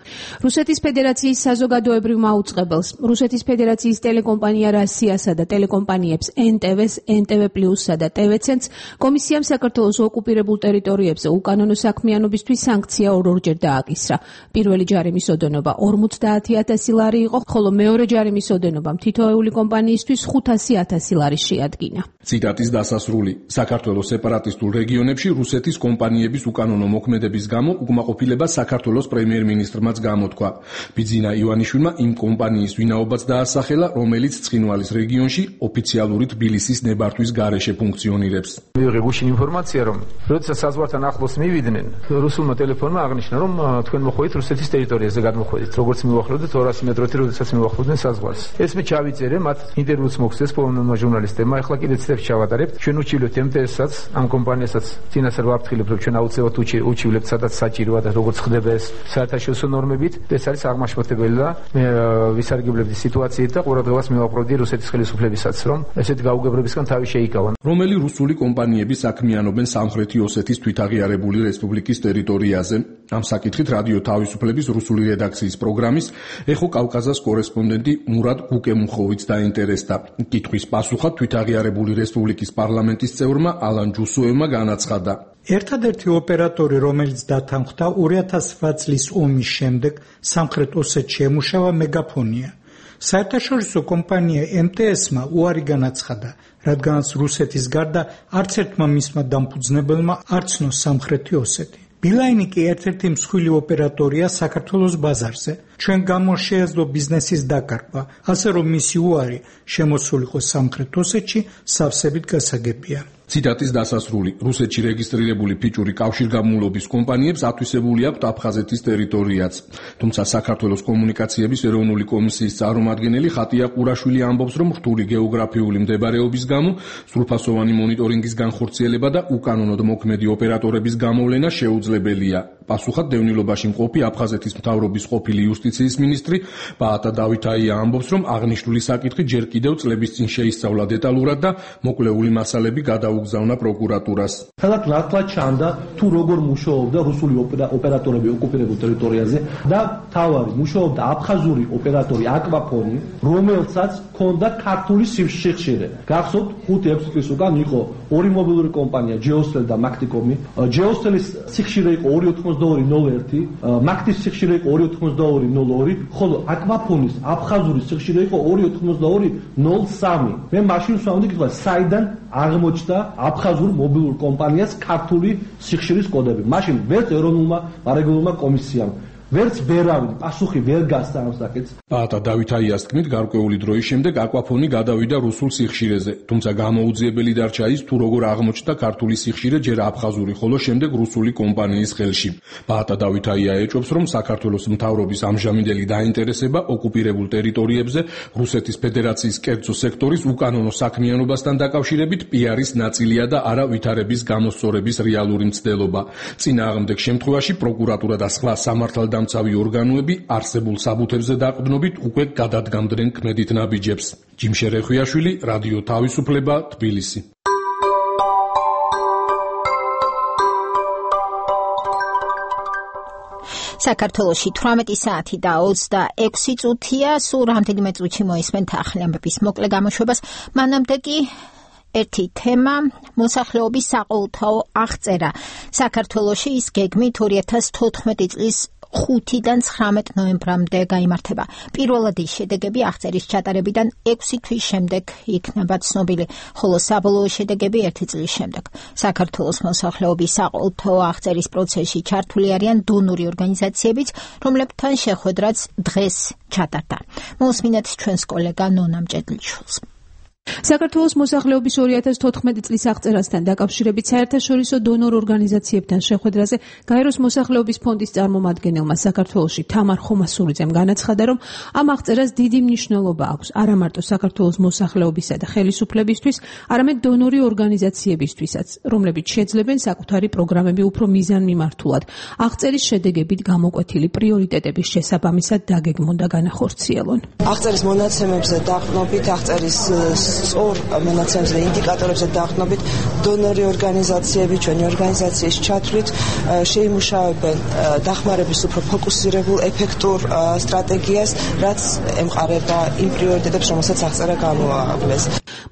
რუსეთის ფედერაციის საზოგადოებრივ მაუწყებელს, რუსეთის ფედერაციის ტელეკომპანია რასიასა და ტელეკომპანიებს ენ ტე ვეს, ენ ტე ვე პლუსსა და ტე ვე ცენტს კომისიამ საქართველოს ოკუპირებულ ტერიტორიებზე უკანონო საქმიანობისთვის სანქცია ორ-ორჯერ დააკისრა. პირველი ჯარიმის ოდენობა ორმოცდაათი ათასი ლარი იყო, ხოლო მეორე ჯარიმის ოდენობამ თითოეული კომპანიისთვის ხუთასი ათასი ლარი შეადგინა. ციტატის დასასრული. საქართველოს სეპარატისტულ რეგიონებში რუსეთის კომპანიების უკანონო მოქმედების გამო უკმაყოფილება საქართველოს პრემიერ-მინისტრმაც გამოთქვა. ბიძინა ივანიშვილმა იმ კომპანიის ვინაობაც დაასახელა, რომელიც ცხინვალის რეგიონში ოფიციალური თბილისის ნებართვის გარეშე ფუნქციონირებს. მივიღე გუშინ ინფორმაცია, რომ როდესაც საზღვართან ახლოს მივიდნენ, რუსულმა ტელეფონმა აღნიშნა, რომ თქვენ მოხვედით რუსეთის ტერიტორიაზე გადმოხვედით, როგორც მივახლოვდეთ ორასი მეტროთი, როდესაც მივახლოვდნენ საზღვარს. ეს მე ჩავიწერე, მათ ინტერვიუც მოხდეს პოლონელმა ჟურნალისტებმა, ახლა კიდე ცდებს ჩავატარებთ. ჩვენ უჩივლეთ ემ ტე ესაც, ამ კომპანიასაც წინასწარ ვაფრთხილებთ, რომ ჩვენ აუცილებლად უჩივლეთ, სადაც საჭიროა და როგორც ხდება ეს საერთაშორისო ნორმებით. ეს არის აღმაშფოთებელი და მე ვისარგებლებდი სიტუაციით და ყურადღებას მივაყრობდი რუსეთის ხელისუფლებისაც, რომ ესეთ გაუგებრებისგან თავი შეიკავან. რომელი რუსული კომპანიები საქმიანობენ სამხრეთი ოსეთის თვითაღიარებული რესპუბლიკის ტერიტორიაზე? ამ საკითხით რადიო თავისუფლების რუსული რედაქციის პროგრამის ეხო კავკაზას კორესპონდენტი მურად გუკემუხოვიც დაინტერესდა. კითხვის პასუხად თვითაღიარებული რესპუბლიკის პარლამენტის წევრმა ალან ჯუსუევმა განაცხადა. ერთადერთი ოპერატორი, რომელიც დათანხმდა ორი ათას რვა წლის ომის შემდეგ სამხრეთ ოსეთში ემუშავა მეგაფონია. საერთაშორისო კომპანია ემ ტე ესმა უარი განაცხადა, რადგანაც რუსეთის გარდა არც ერთმა მისმა დამფუძნებელმა არ ცნო სამხრეთი ოსეთი. ბილაინი კი ერთ-ერთი მსხვილი ოპერატორია საქართველოს ბაზარზე. ჩვენ გამო შეეძლო ბიზნესის დაკარგვა, ასე რომ მისი უარი შემოსულიყო სამხრეთ ოსეთში სავსებით გასაგებია. ციტატის დასასრული. რუსეთში რეგისტრირებული ფიჭური კავშირგაბმულობის კომპანიებს ათვისებული აქვთ აფხაზეთის ტერიტორიაც. თუმცა საქართველოს კომუნიკაციების ეროვნული კომისიის წარმომადგენელი ხატია ყურაშვილი ამბობს, რომ რთული გეოგრაფიული მდებარეობის გამო სრულფასოვანი მონიტორინგის განხორციელება და უკანონოდ მოქმედი ოპერატორების გამოვლენა შეუძლებელია. პასუხად დევნილობაში მყოფი აფხაზეთის მთავრობის ყოფილი იუსტიციის მინისტრი ბაატა დავითაია ამბობს, რომ აღნიშნული საკითხი ჯერ კიდევ წლების წინ შეისწავლა დეტალურად და მოკლეული მასალები გადაუგზავნა პროკურატურას. სადაც ნათლად ჩანდა თუ როგორ მუშაობდა რუსული ოპერატორები ოკუპირებულ ტერიტორიაზე და თავარი მუშაობდა აფხაზური ოპერატორი აკვაფონი, რომელსაც ჰქონდა ქართული სიხშირე. გახსოვთ ხუთი ექვსი წლის უკან იყო ორი მობილური კომპანია ჯეოსტელ და მაქტიკომი. ჯეოსტელის სიხშირე იყო ორი ოთხმოცდაორი ნულ ერთი, მაქტის სიხშირე იყო ორი ოთხმოცდაორი ნულ ორი, ხოლო აკვაფონის აფხაზური სიხშირე იყო ორი ოთხმოცდაორი ნულ სამი. მე მაშინ ვსვამდი კითხვა, საიდან აღმოჩნდა აფხაზურ მობილურ კომპანიას ქართული სიხშირის კოდები. მაშინ ვერც ეროვნულმა მარეგულირებულმა კომისიამ ვერც ვერავინ პასუხი ვერ გასცა ამ საკითხს. ბაატა დავითაიას თქმით, გარკვეული დროის შემდეგ აკვაფონი გადავიდა რუსულ სიხშირეზე, თუმცა გამოუძიებელი დარჩა ის, თუ როგორ აღმოჩნდა ქართული სიხშირე ჯერ აფხაზური, ხოლო შემდეგ რუსული კომპანიის ხელში. ბაატა დავითაია ეჭვობს, რომ საქართველოს მთავრობის ამჟამინდელი დაინტერესება ოკუპირებულ ტერიტორიებზე რუსეთის ფედერაციის კერძო სექტორის უკანონო საქმიანობასთან დაკავშირებით პიარის ნაწილია და არა ვითარების გამოსწორების რეალური მცდელობა. წინააღმდეგ შემთხვევაში პროკურატურა და სხვა სამართალ დამცავი ორგანოები არსებულ საბუთებზე დაყრდნობით უკვე გადადგამდნენ ქმედით ნაბიჯებს. ჯიმშე რეხვიაშვილი, რადიო თავისუფლება, თბილისი. საქართველოში თვრამეტი საათი და ოცდაექვსი წუთია, სულ რამდენიმე წუთში მოისმენთ ახალი ამბების მოკლე გამოშვებას. მანამდე კი ერთი თემა, მოსახლეობის საყოველთაო აღწერა. საქართველოში ის გეგმით ორი ათას თოთხმეტი წლის ხუთიდან ცხრამეტ ნოემბრამდე გაიმართება. პირველად ის შედეგები აღწერის ჩატარებიდან ექვსი თვის შემდეგ იქნება ცნობილი, ხოლო საბოლოო შედეგები ერთი წლის შემდეგ. საქართველოს მოსახლეობის საყოველთაო აღწერის პროცესში ჩართული არიან დონორი ორგანიზაციებიც, რომლებთან შეხვედრაც დღეს ჩატარდა. მოусმინეთ ჩვენს კოლეგა ნონა მჭედლიშვილს. საქართველოს მოსახლეობის ორი ათას თოთხმეტი წლის აღწერასთან დაკავშირებით საერთაშორისო დონორ ორგანიზაციებთან შეხვედრაზე გაეროს მოსახლეობის ფონდის წარმომადგენელმა საქართველოში თამარ ხომასურიძემ განაცხადა, რომ ამ აღწერას დიდი მნიშვნელობა აქვს არა მარტო საქართველოს მოსახლეობისა და ხელისუფლებისთვის, არამედ დონორი ორგანიზაციებისთვისაც, რომლებიც შეძლებენ საკუთარი პროგრამები უფრო მიზანმიმართულად, აღწერის შედეგებით გამოკვეთილი პრიორიტეტების შესაბამისად დაგეგმონ და განახორციელონ. აღწერის მონაცემებზე დაყრდნობით, აღწერის სწორ მონაცემებზე და ინდიკატორებზე დაყრდნობით დონორი ორგანიზაციები ჩვენი ორგანიზაციის ჩათვლით შეიმუშავებენ დახმარების უფრო ფოკუსირებულ ეფექტურ სტრატეგიას, რაც ემყარება იმ პრიორიტეტებს, რომელსაც აღწერა გამოაავლეს.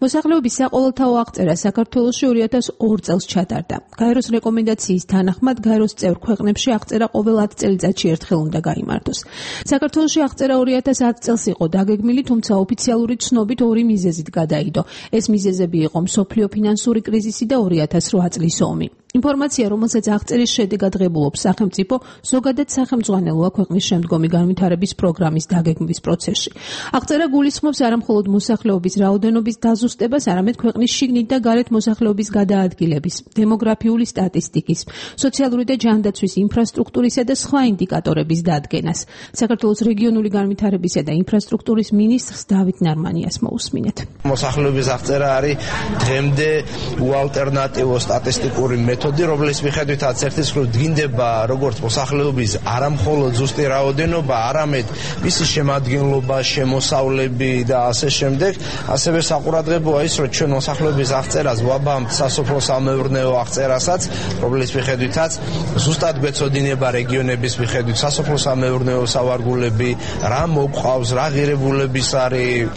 მოსახლეობის საყოველთაო აღწერა საქართველოში ორი ათას ორი წელს ჩატარდა. გაეროს რეკომენდაციის თანახმად გაეროს წევრ ქვეყნებში აღწერა ყოველ ათი წელიწადში ერთხელ უნდა გაიმართოს. საქართველოში აღწერა ორი ათას ათი წელს იყო დაგეგმილი, თუმცა ოფიციალური ცნობით ორი მიზეზით გადაიდო. ეს მიზეზები იყო მსოფლიო ფინანსური კრიზისი და ორი ათას რვა წლის ომი. ინფორმაცია, რომელსაც აღწერის შედეგად ღებულობს სახელმწიფო, ზოგადად სახელმძღვანელოა ქვეყნის შემდგომი განვითარების პროგრამის დაგეგმვის პროცესში. აღწერა გულისხმობს არამხოლოდ მოსახლეობის რაოდენობის დაზუსტებას, არამედ ქვეყნის შიგნით და გარეთ მოსახლეობის გადაადგილების, დემოგრაფიული სტატისტიკის, სოციალური და ჯანდაცვის ინფრასტრუქტურისა და სხვა ინდიკატორების დადგენას. საქართველოს რეგიონული განვითარებისა და ინფრასტრუქტურის მინისტრს დავით ნარმანიას მოусმინეთ. მოსახლეობის აღწერა არის დღემდე უალტერნატივო სტატისტიკური მეთოდი, რომლის მიხედვითაც ერთის მხრივ დგინდება როგორც მოსახლეობის არამხოლოდ ზუსტი რაოდენობა, არამედ მისი შემადგენლობა, შემოსავლები და ასე შემდეგ. ასევე საყურადღებოა ის, რომ ჩვენ მოსახლეობის აღწერას ვაბამთ სასოფლო-სამეურნეო აღწერასაც, რომლის მიხედვითაც ზუსტად გვეცოდინება რეგიონების მიხედვით სასოფლო-სამეურნეო სავარგულები, რა მოყავს, რა ღირებულების არის.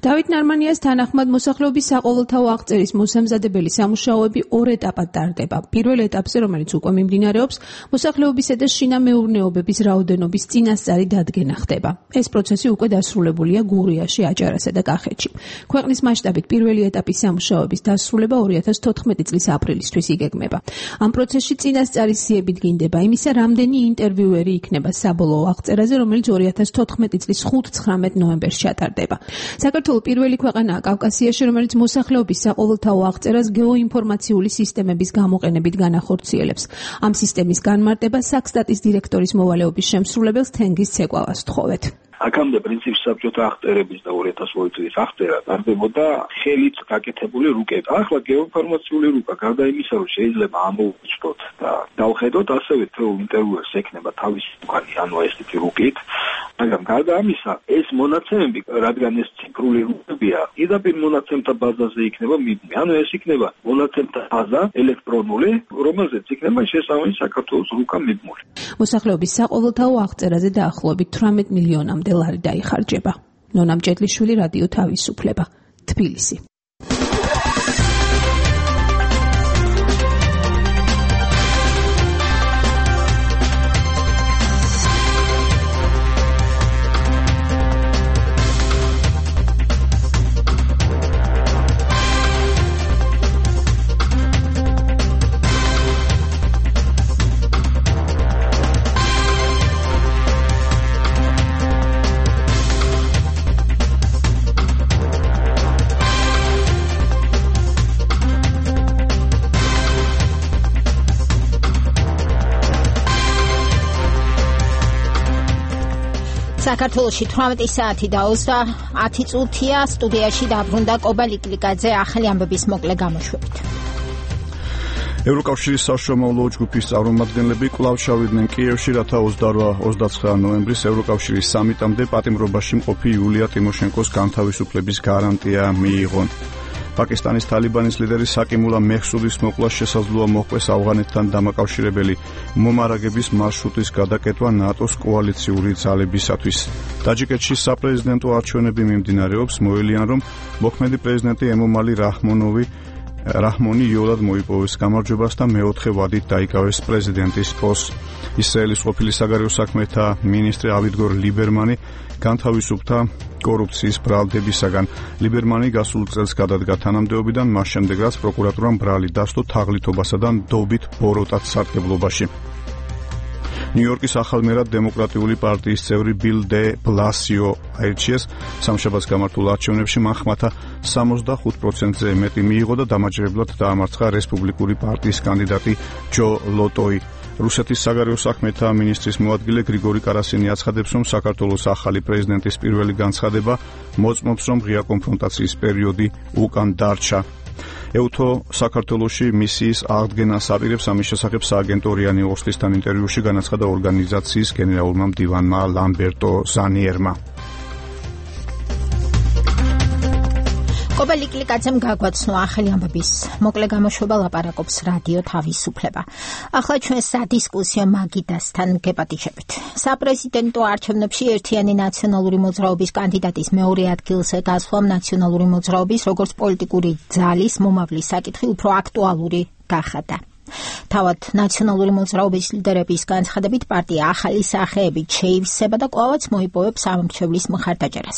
დავით ნარმანიას თანახმად მოსახლეობის საყოველთაო აღწერის მოსამზადებელი სამუშაოები ორ ეტაპად ტარდება. პირველ ეტაპზე, რომელიც უკვე მიმდინარეობს, მოსახლეობისა და შინამეურნეობების რაოდენობის წინასწარი დადგენა ხდება. ეს პროცესი უკვე დასრულებულია გურიაში, აჭარასა და კახეთში. ქვეყნის მასშტაბით პირველი ეტაპის სამუშაოების დასრულება ორი ათას თოთხმეტი წლის აპრილისთვის იგეგმება. ამ პროცესში წინასწარი სიები დგინდება იმისა, რამდენი ინტერვიუერი იქნება საბოლოო აღწერაზე, რომელიც ორი ათას თოთხმეტი წლის ხუთ-ცხრამეტ ნოემბერს ჩატარდება. საქართველო პირველი ქვეყანაა კავკასიაში, რომელიც მოსახლეობის საყოველთაო აღწერას გეოინფორმაციული სისტემების გამოყენებით განახორციელებს. ამ სისტემის განმარტება საქსტატის დირექტორის მოვალეობის შემსრულებელს თენგიზ ცეკვავას ვთხოვეთ. აქამდე პრინციპი საბჭოთა აღწერების და ორი ათას ორი წლის აღწერა ტარდებოდა ხელით გაკეთებული რუკებით. ახლა გეოინფორმაციული რუკა გარდა იმისა, რომ შეიძლება ამოვიწყოთ და დავხედოთ, ასევე თუ ინტერვიუერს ექნება თავისი უკანი, ანუ ესეთი რუკით, მაგრამ გარდა ამისა, ეს მონაცემები, რადგან ეს ციფრული რუკებია, პირდაპირ მონაცემთა ბაზაზე იქნება მიბმული. ანუ ეს იქნება მონაცემთა ბაზა ელექტრონული, რომელზეც იქნება შესაბამისი საქართველოს რუკა მიბმული. მოსახლეობის საყოველთაო აღწერაზე დაახლოებით თვრამეტ მილიონამდე ლარი დაიხარჯება. ნონა მჭედლიშვილი, რადიო თავისუფლება, თბილისი. საქართველოში თვრამეტი საათი და ოცდაათი წუთია. სტუდიაში დაბრუნდა კობა ლიკლიკაძე ახალი ამბების მოკლე გამოშვებით. ევროკავშირის საშუალო ჯგუფის წარმომადგენლები კვლავ ჩავიდნენ კიევში, რათა ოცდაოთხ ოცდაცხრა ნოემბრის ევროკავშირის სამიტამდე პატიმრობაში მყოფი იულია ტიმოშენკოს განთავისუფლების გარანტია მიიღონ. პაკისტანის თალიბანის ლიდერი საკიმულა მეჰსუდის მოკვლას შესაძლოა მოჰყვეს ავღანეთთან დამაკავშირებელი მომარაგების მარშრუტის გადაკეთვა ნატოს კოალიციური ძალებისათვის. ტაჯიკეთში საპრეზიდენტო არჩევნები მიმდინარეობს, მოელიან რომ მოქმედი პრეზიდენტი ემომალი რაჰმონოვი რაჰმონი იოლად მოიპოვეს გამარჯვებას და მეოთხე ვადით დაიკავეს პრეზიდენტის პოსტს. ისრაელის ყოფილი საგარეო საქმეთა მინისტრი ავიგდორ ლიბერმანი განთავისუფლდა კორუფციის ბრალდებისაგან. ლიბერმანი გასულ წელს გადადგა თანამდებობიდან, მას შემდეგ რაც პროკურატურამ ბრალი დასდო თაღლითობასა და ნდობით ბოროტად სარგებლობაში. ნიუ-იორკის ახალმერად დემოკრატიული პარტიის წევრი ბილ დე ბლასიო აირჩიეს. სამშაბათს გამართულ არჩევნებში მან ხმათა სამოცდახუთ პროცენტზე მეტი მიიღო და დამაჯერებლად დაამარცხა რესპუბლიკური პარტიის კანდიდატი ჯო ლოტოი. რუსეთის საგარეო საქმეთა მინისტრის მოადგილე გრიგორი კარასინი აცხადებს, რომ საქართველოს ახალი პრეზიდენტის პირველი განცხადება მოწმობს, რომ ღია კონფრონტაციის პერიოდი უკან დარჩა. ეუთო საქართველოში მისიის აღდგენას აპირებს, ამის შესახებ სააგენტო რია ნიუსთან ინტერვიუში განაცხადა ორგანიზაციის გენერალურმა მდივანმა ლამბერტო ზანიერმა. კობა ლიკლიკაძემ გაგვაცნო ახალი ამბების მოკლე გამოშვება, ლაპარაკობს რადიო თავისუფლება. ახლა ჩვენ სადისკუსიო მაგიდასთან გეპატიჟებით. საპრეზიდენტო არჩევნებში ერთიანი ნაციონალური მოძრაობის კანდიდატის მეორე ადგილზე გასვლამ ნაციონალური მოძრაობის როგორც პოლიტიკური ძალის მომავლის საკითხი უფრო აქტუალური გახადა. თავად ნაციონალური მოძრაობის ლიდერების განცხადებით პარტია ახალი სახეებით შეივსება და კვლავაც მოიპოვებს ამომრჩევლის მხარდაჭერას.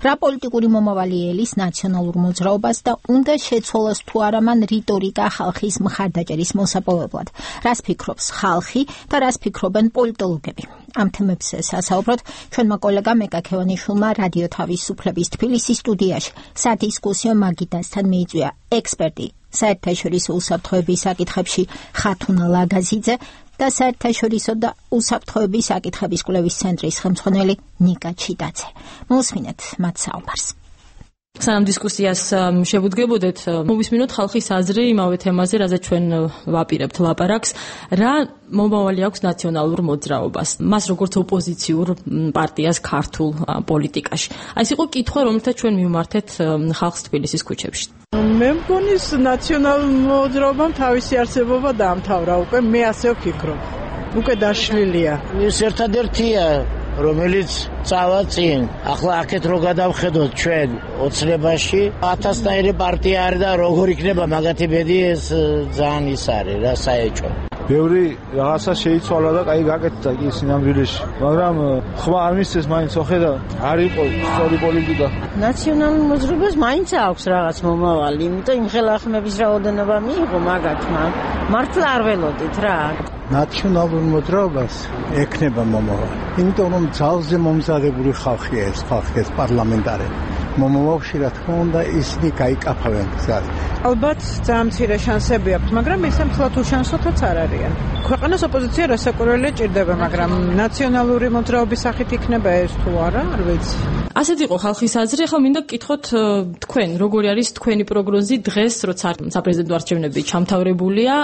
რა პოლიტიკური მომავალი ელის ნაციონალურ მოძრაობას და უნდა შეცვალოს თუ არა მან რიტორიკა ხალხის მხარდაჭერის მოსაპოვებლად. რას ფიქრობს ხალხი და რას ფიქრობენ პოლიტოლოგები? ამ თემებზე სასაუბროთ ჩვენმა კოლეგამ ეკა ქევანიშვილმა რადიო თავისუფლების თბილისის სტუდიაში სადისკუსიო მაგიდასთან მიიწვია ექსპერტი საერთაშორისო უსაფრთხოების საკითხებში ხათუნა ლაგაზიძე და საერთაშორისო და უსაფრთხოების საკითხების კვლევის ცენტრის ხელმძღვანელი ნიკა ჩიტაძე. მოსმინეთ მათ საუბარს. სანამ დისკუსიას შევუდგებოდეთ, მოვისმინოთ ხალხის აზრი იმავე თემაზე, რაზე ჩვენ ვაპირებთ ლაპარაკს, რა მომავალი აქვს ნაციონალურ მოძრაობას, მას როგორც ოპოზიციურ პარტიას ქართულ პოლიტიკაში. აი ეს იყო კითხვა, რომელთაც ჩვენ მივმართეთ ხალხს თბილისის ქუჩებში. მე მგონი ნაციონალურ მოძრაობამ თავისი არსებობა დაამთავრა უკვე, მე ასე ვფიქრობ. უკვე დაშლილია. ეს ერთადერთია რომელიც წავა წინ. ახლა აქეთ რო გადავხედოთ ჩვენ ოცნებაში, ათასნაირი პარტია არის და როგორ იქნება მაგათი ბედი, ეს ძალიან ის არის რა საეჭვო. ბევრი რაღაცა შეიცვალა და კაი გაკეთდა კი სინამდვილეში, მაგრამ ხმა არ მისცეს მაინც ოხედა არ იყო სწორი პოლიტიკა. ნაციონალურ მოძრაობას მაინც აქვს რაღაც მომავალი, იმიტომ იმ ხელახმების რაოდენობა მიიღო მაგათმა. მართლა არ ველოდით რა. ნაციონალურ მოძრაობას ექნება მომავალი. იმიტომ რომ ძალზე მომზადებული ხალხია ეს ხალხი, ეს პარლამენტარები. მომავალში რა თქმა უნდა ისინი გაიკაფავენ გზად. ალბათ ძალიან მცირე შანსები აქვს, მაგრამ ისე მთლად უშანსოთაც არ არიან. ქვეყანას ოპოზიცია რასაკვირველია ჭირდება, მაგრამ ნაციონალური მოძრაობის სახით იქნება ეს თუ არა, არ ვიცი. ასეთ იყო ხალხის აზრი, ახლა მინდა გკითხოთ თქვენ, როგორი არის თქვენი პროგნოზი დღეს, როცა საპრეზიდენტო არჩევნები ჩამთავრებულია,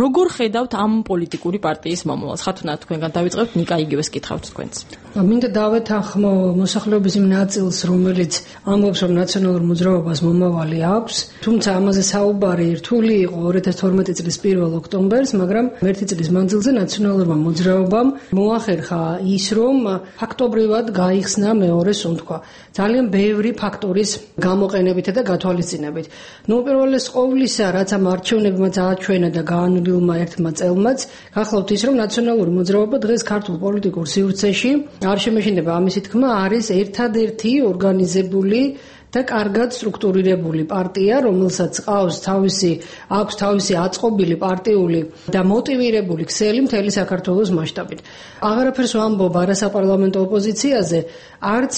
როგორ ხედავთ ამ პოლიტიკური პარტიის მომავალს? ხათუნა თქვენგან დავიწყებთ, ნიკა იგივეს კითხავთ თქვენც. მინდა დავეთანხმო მოსახლეობის იმ ნაწილს, რომელიც ამბობს, რომ ნაციონალურ მოძრაობას მომავალი აქვს, თუმცა ამაზე საუბარი რთული იყო ორი ათას თორმეტი წლის პირველ ოქტომბერს, მაგრამ ერთი წლის მანძილზე ნაციონალურმა მოძრაობამ მოახერხა ის, რომ ფაქტობრივად გაიხსნა მეორე სუნთქვა. ძალიან ბევრი ფაქტორის გამოყენებით და გათვალისწინებით. ნუ უპირველეს ყოვლისა, რაც ამ არჩევნებმა წააჩვენა და გაანვილმა ერთმა წელმაც, გახლავთ ის, რომ ნაციონალური მოძრაობა დღეს ქართულ პოლიტიკურ სივრცეში არ შემეშინდება ამისი თქმა, არის ერთადერთი ორგანიზებული და კარგად სტრუქტურირებული პარტია, რომელსაც ყავს თავისი აქვს თავისი აწყობილი პარტიული და მოტივირებული ქსელი მთელი საქართველოს მასშტაბით. აღარაფერს ვამბობ არასაპარლამენტო ოპოზიციაზე, არც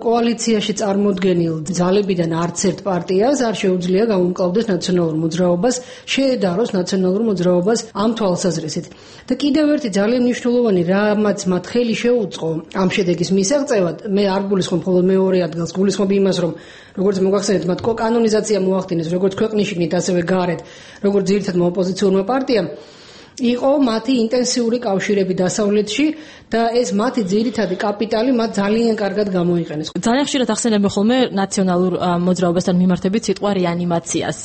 კოალიციაში წარმოდგენილ ძალებიდან არც ერთ პარტიას არ შეუძლია გამომკლავდეს ნაციონალურ მოძრაობას, შეედაროს ნაციონალურ მოძრაობას ამ თვალსაზრისით. და კიდევ ერთი ძალიან მნიშვნელოვანი რამაც მათ ხელი შეუწყო ამ შედეგის მისაღწევად, მე არ გულისხმობ მხოლოდ მეორე ადგილს, გულისხმობ იმას, რომ როგორც მოგახსენეთ, მათ კანონიზაცია მოახდინეს, როგორც ქვეყნის შიგნით, ასევე გარეთ, როგორც ძირითადმა ოპოზიციურმა პარტიამ, იყო მათი ინტენსიური კავშირები დასავლეთში და ეს მათი ძირითადი კაპიტალი მათ ძალიან კარგად გამოიყენეს. ძალიან ხშირად ახსენებენ ხოლმე ნაციონალურ მოძრაობასთან მიმართებით სიტყვა რეანიმაციას.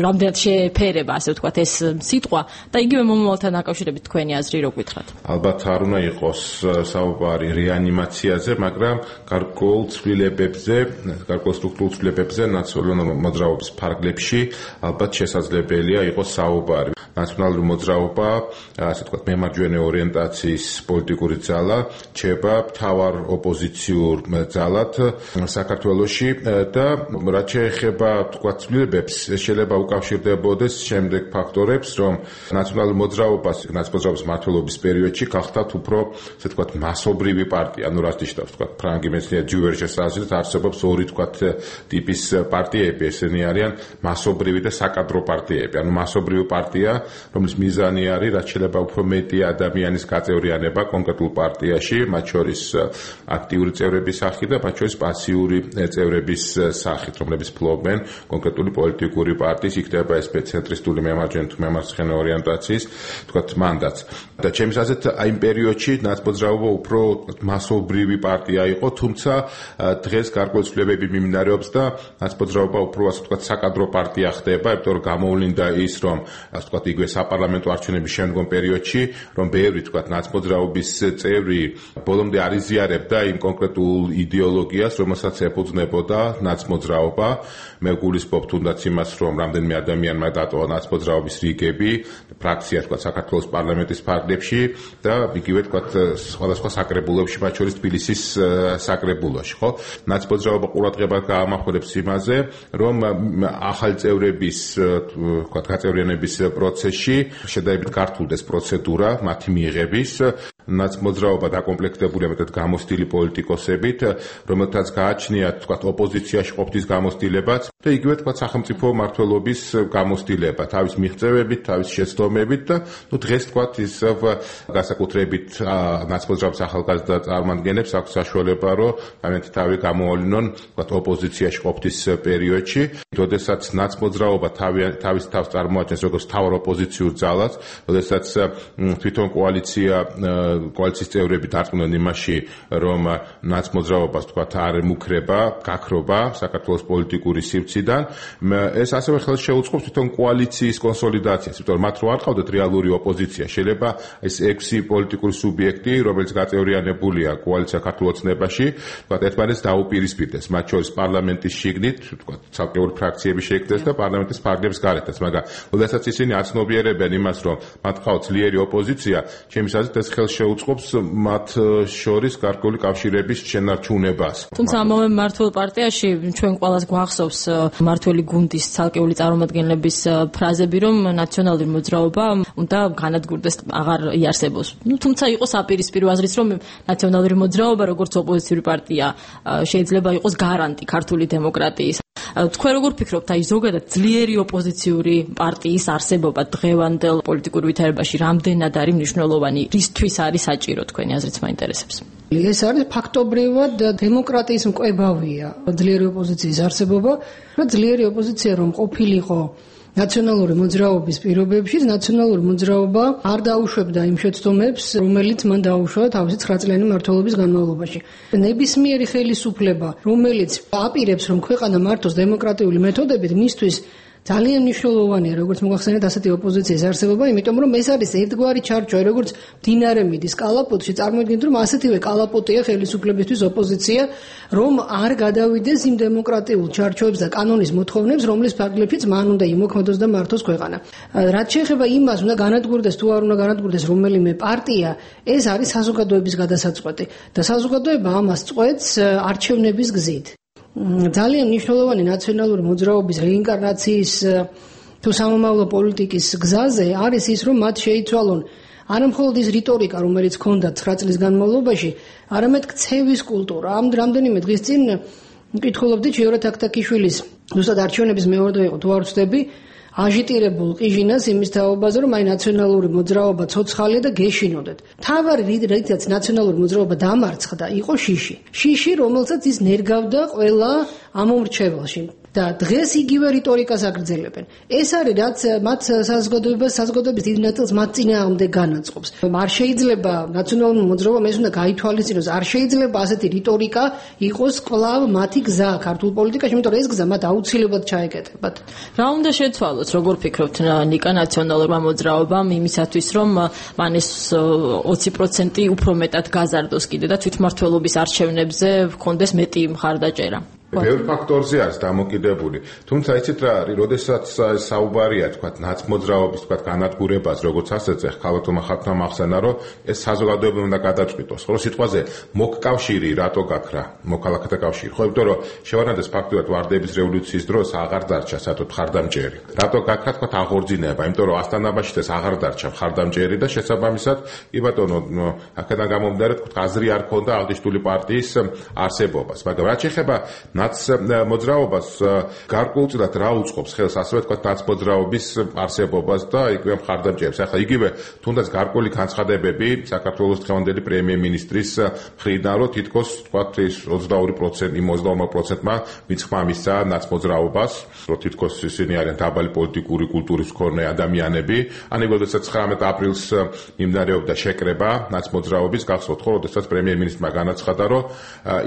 რამდენად შეეფერება, ასე ვთქვათ, ეს სიტყვა და იგივე მომავალთან დაკავშირებით თქვენი აზრი რო გითხრათ. ალბათ არ უნდა იყოს საუბარი რეანიმაციაზე, მაგრამ გარკვეულ ცვლილებებზე, გარკვეულ სტრუქტურულ ცვლილებებზე ნაციონალურ მოძრაობის ფარგლებში ალბათ შესაძლებელია იყოს საუბარი. ნაციონალური მოძრაობა, ასე ვთქვათ, მემარჯვენე ორიენტაციის პოლიტიკური ძალა ჩება მთავარ ოპოზიციურ ძალად საქართველოში და რაც შეეხება ვთქვათ ცვლილებებს, შეიძლება უკავშირდებოდეს შემდეგ ფაქტორებს, რომ ნაციონალური მოძრაობას, ნაციონალური მმართველობის პერიოდში გახდათ უფრო, ასე ვთქვათ, მასობრივი პარტია, ანუ რაც ნიშნავს, ვთქვათ, ფრანგი მეცნიერი ჯუვერჩეს აზრით არსებობს ორი, ვთქვათ, ტიპის პარტიები, ესენი არიან მასობრივი და საკადრო პარტიები, ანუ მასობრივი პარტია, რომლის მიზანი არის, რაც შეიძლება უფრო მეტი ადამიანის გაწევრიანება კონკრეტულ პარტიაში, მათ შორის აქტიური წევრების სახით და მათ შორის პასიური წევრების სახით, რომლებიც ფლობენ კონკრეტული პოლიტიკური პარტიის, იქნება ეს ცენტრისტული მემარჯვენე თუ მემარცხენე ორიენტაციის, თქვათ, მანდატს. და ჩემს აზრით, აი იმ პერიოდში ნაცმოძრაობა უფრო მასობრივი პარტია იყო, თუმცა დღეს გარკვეული ცვლილებები მიმდინარეობს და ნაცმოძრაობა უფრო, ასე ვთქვათ, საკადრო პარტია ხდება, იმიტომ რომ გამოვლინდა ის, რომ, ასე ვთქვათ, იგივე საპარლამენტო არჩევნების შემდგომ პერიოდში, რომ ბევრი, თქვათ, ნაცმოძრაობის წევრი ბოლომდე არ იზიარებდა იმ კონკრეტულ იდეოლოგიას, რომელსაც ეფუძნებოდა ნაცმოძრაობა. მე გულისხმობ თუნდაც იმას, რომ რამდენიმე ადამიანმა დატოვა ნაცმოძრაობის რიგები, ფრაქცია, თქვათ, საქართველოს პარლამენტის ფარგლებში და იგივე, თქვათ, სხვადასხვა საკრებულოებში, მათ შორის თბილისის საკრებულოში, ხო? ნაცმოძრაობა ყურადღებას გაამახვილებს იმაზე, რომ ახალი წევრების, თქვათ, გაწევრიანების პროცესში შედარებით გართულდეს პროცედურა მათი მიღების. ნაცმოძრაობა დაკომპლექტებულია მეტად გამოცდილი პოლიტიკოსებით, რომელთაც გააჩნიათ, თქვათ, ოპოზიციაში ყოფნის გამოცდილებაც და იგივე, თქვათ, სახელმწიფო მმართველობის გამოცდილება, თავის მიღწევებით, თავის შეცდომებით და ნუ დღეს, თქვათ, ისევ განსაკუთრებით ნაცმოძრაობის ახალგაზრდა წარმომადგენლებს აქვს საშუალება, რომ ამეთი თავი გამოავლინონ, თქვათ, ოპოზიციაში ყოფნის პერიოდში, როდესაც ნაცმოძრაობა თავის თავს წარმოაჩენს როგორც მთავარ ოპოზიციურ ძალას, როდესაც თვითონ კოალიცია კოალიციის წევრები დარწმუნდნენ იმაში, რომ ნაცმოძრაობას თქვა არ მუქრება, გაქრობა საქართველოს პოლიტიკური სივრციდან. ეს ასევე ხელს შეუწყობს თვითონ კოალიციის კონსოლიდაციას, იმიტომ რომ მათ რო არ ყავდათ რეალური ოპოზიცია, შეიძლება ეს ექვსი პოლიტიკური სუბიექტი, რომელიც გაწევრიანებულია კოალიცია ქართულ ოცნებაში, თქვა ერთმანეთს დაუპირისპირდეს, მათ შორის პარლამენტის შიგნით, თქვა ცალკეული ფრაქციები შეიქმნეს და პარლამენტის ფარგლებს გარეთაც, მაგრამ როდესაც ისინი აცნობიერებენ იმას, რომ მათ ყავთ ძლიერი ოპოზიცია, ჩემი აზრით ეს ხელს შეუწყობს მათ შორის გარკვეული კავშირების შენარჩუნებას. თუმცა ამავე მმართველ პარტიაში ჩვენ ყველას გვახსოვს მმართველი გუნდის ცალკეული წარმომადგენლების ფრაზები, რომ ნაციონალური მოძრაობა უნდა განადგურდეს, აღარ იარსებოს. ნუ თუმცა იყო საპირისპირო აზრიც, რომ ნაციონალური მოძრაობა როგორც ოპოზიციური პარტია შეიძლება იყოს გარანტი ქართული დემოკრატიის. თქვენ როგორ ფიქრობთ, აი ზოგადად ძლიერი ოპოზიციური პარტიის არსებობა დღევანდელ პოლიტიკურ ვითარებაში რამდენად არის მნიშვნელოვანი, რისთვის არის საჭირო თქვენი აზრით მაინტერესებს? ეს არის ფაქტობრივად დემოკრატიის მკვებავია ძლიერი ოპოზიციის არსებობა, რომ ძლიერი ოპოზიცია რომ ყოფილიყო ნაციონალური მოძრაობის პირობებში, ნაციონალური მოძრაობა არ დაუშვებდა იმ შეცდომებს, რომელიც მან დაუშვა თავისი ცხრაწლიანი მმართველობის განმავლობაში. ნებისმიერი ხელისუფლება, რომელიც აპირებს, რომ ქვეყანა მართოს დემოკრატიული მეთოდებით, მისთვის ძალიან მნიშვნელოვანია, როგორც მოგახსენეთ, ასეთი ოპოზიციის არსებობა, იმიტომ რომ ეს არის ერთგვარი ჩარჩო, როგორც მდინარე მიდის კალაპოტში, წარმოიდგინეთ, რომ ასეთივე კალაპოტია ხელისუფლებისთვის ოპოზიცია, რომ არ გადავიდეს იმ დემოკრატიულ ჩარჩოებს და კანონის მოთხოვნებს, რომლის ფარგლებშიც მან უნდა იმოქმედოს და მართოს ქვეყანა. რაც შეეხება იმას, უნდა განადგურდეს თუ არ უნდა განადგურდეს რომელიმე პარტია, ეს არის საზოგადოების გადასაწყვეტი და საზოგადოება ამას წყვეტს არჩევნების გზით. ძალიან მნიშვნელოვანი ნაციონალური მოძრაობის რეინკარნაციის თუ სამომავლო პოლიტიკის გზაზე არის ის, რომ მათ შეიცვალონ არა მხოლოდ ის რიტორიკა, რომელიც ჰქონდათ ცხრა წლის განმავლობაში, არამედ ქცევის კულტურა. ამ რამდენიმე დღის წინ მკითხულობდი ჟიორეთ აკტაკიშვილის ზუსტად არჩევნების მეორდე იყო თუ არ ვცდები, აჟიტირებულ ყიჟინას იმის თაობაზე, რომ აი ნაციონალური მოძრაობა ცოცხალია და გეშინოდეთ. თავარი რითაც ნაციონალური მოძრაობა დამარცხდა, იყო შიში. შიში, რომელსაც ის ნერგავდა ყველა ამომრჩეველში. და დღეს იგივე რიტორიკას აგრძელებენ. ეს არის რაც მათ საზოგადოებას, საზოგადოების დიდ ნაწილს მათ წინააღმდეგ განაწყობს. არ შეიძლება ნაციონალური მოძრაობამ ეს უნდა გაითვალისწინოს, არ შეიძლება ასეთი რიტორიკა იყოს კვლავ მათი გზა ქართულ პოლიტიკაში, იმიტომ რომ ეს გზა მათ აუცილებლად ჩაეკეტებათ. რა უნდა შეცვალოს, როგორ ფიქრობთ ნიკა ნაციონალურმა მოძრაობამ იმისათვის, რომ მან ეს ოცი პროცენტი უფრო მეტად გაზარდოს კიდე და თვითმმართველობის არჩევნებზე ჰქონდეს მეტი მხარდაჭერა? ბევრ ფაქტორზე არის დამოკიდებული. თუმცა იცით რა არის, როდესაც საუბარია თქვა ნაცმოძრაობის თქვა განადგურებას, როგორც ასეზე ხალხმა ხალხმა ახსენა, რომ ეს საზოგადოება უნდა გადაწყვიტოს. ხოლო სიტყვაზე მოკავშირი რატო გაქრა? მოქალაქეთა კავშირი. ხო, იმიტომ რომ შევანადეს ფაქტურად ვარდების რევოლუციის დროს აღარ დარჩა საერთოდ მხარდამჭერი. რატო გაქრა თქვა აღორძინება? იმიტომ რომ ასტანაბაში ეს აღარ დარჩა მხარდამჭერი და შესაბამისად, კი ბატონო, აქედან გამომდინარე თქვა აზრი არ ქონდა აღნიშნული პარტიის არსებობას. მაგრამ რაც შეეხება ნაც მოძრაობას გარკვეულწილად რა უწყობს ხელს ასევე თქვა ნაცმოძრაობის არსებობას და იგივე მხარდამჭერებს. ახლა იგივე თუნდაც გარკვეული განცხადებები საქართველოს დღევანდელი პრემიერ-მინისტრის მხრიდან, რომ თითქოს თქვა ის ოცდაორი პროცენტი ოცდაორი პროცენტმა მიცხრა მისცა ნაცმოძრაობას, რომ თითქოს ისინი არიან დაბალი პოლიტიკური კულტურის მქონე ადამიანები. ან როდესაც ცხრამეტ აპრილს მიმდინარეობდა შეკრება ნაცმოძრაობის, გახსოვთ ხო, როდესაც პრემიერ-მინისტრმა განაცხადა, რომ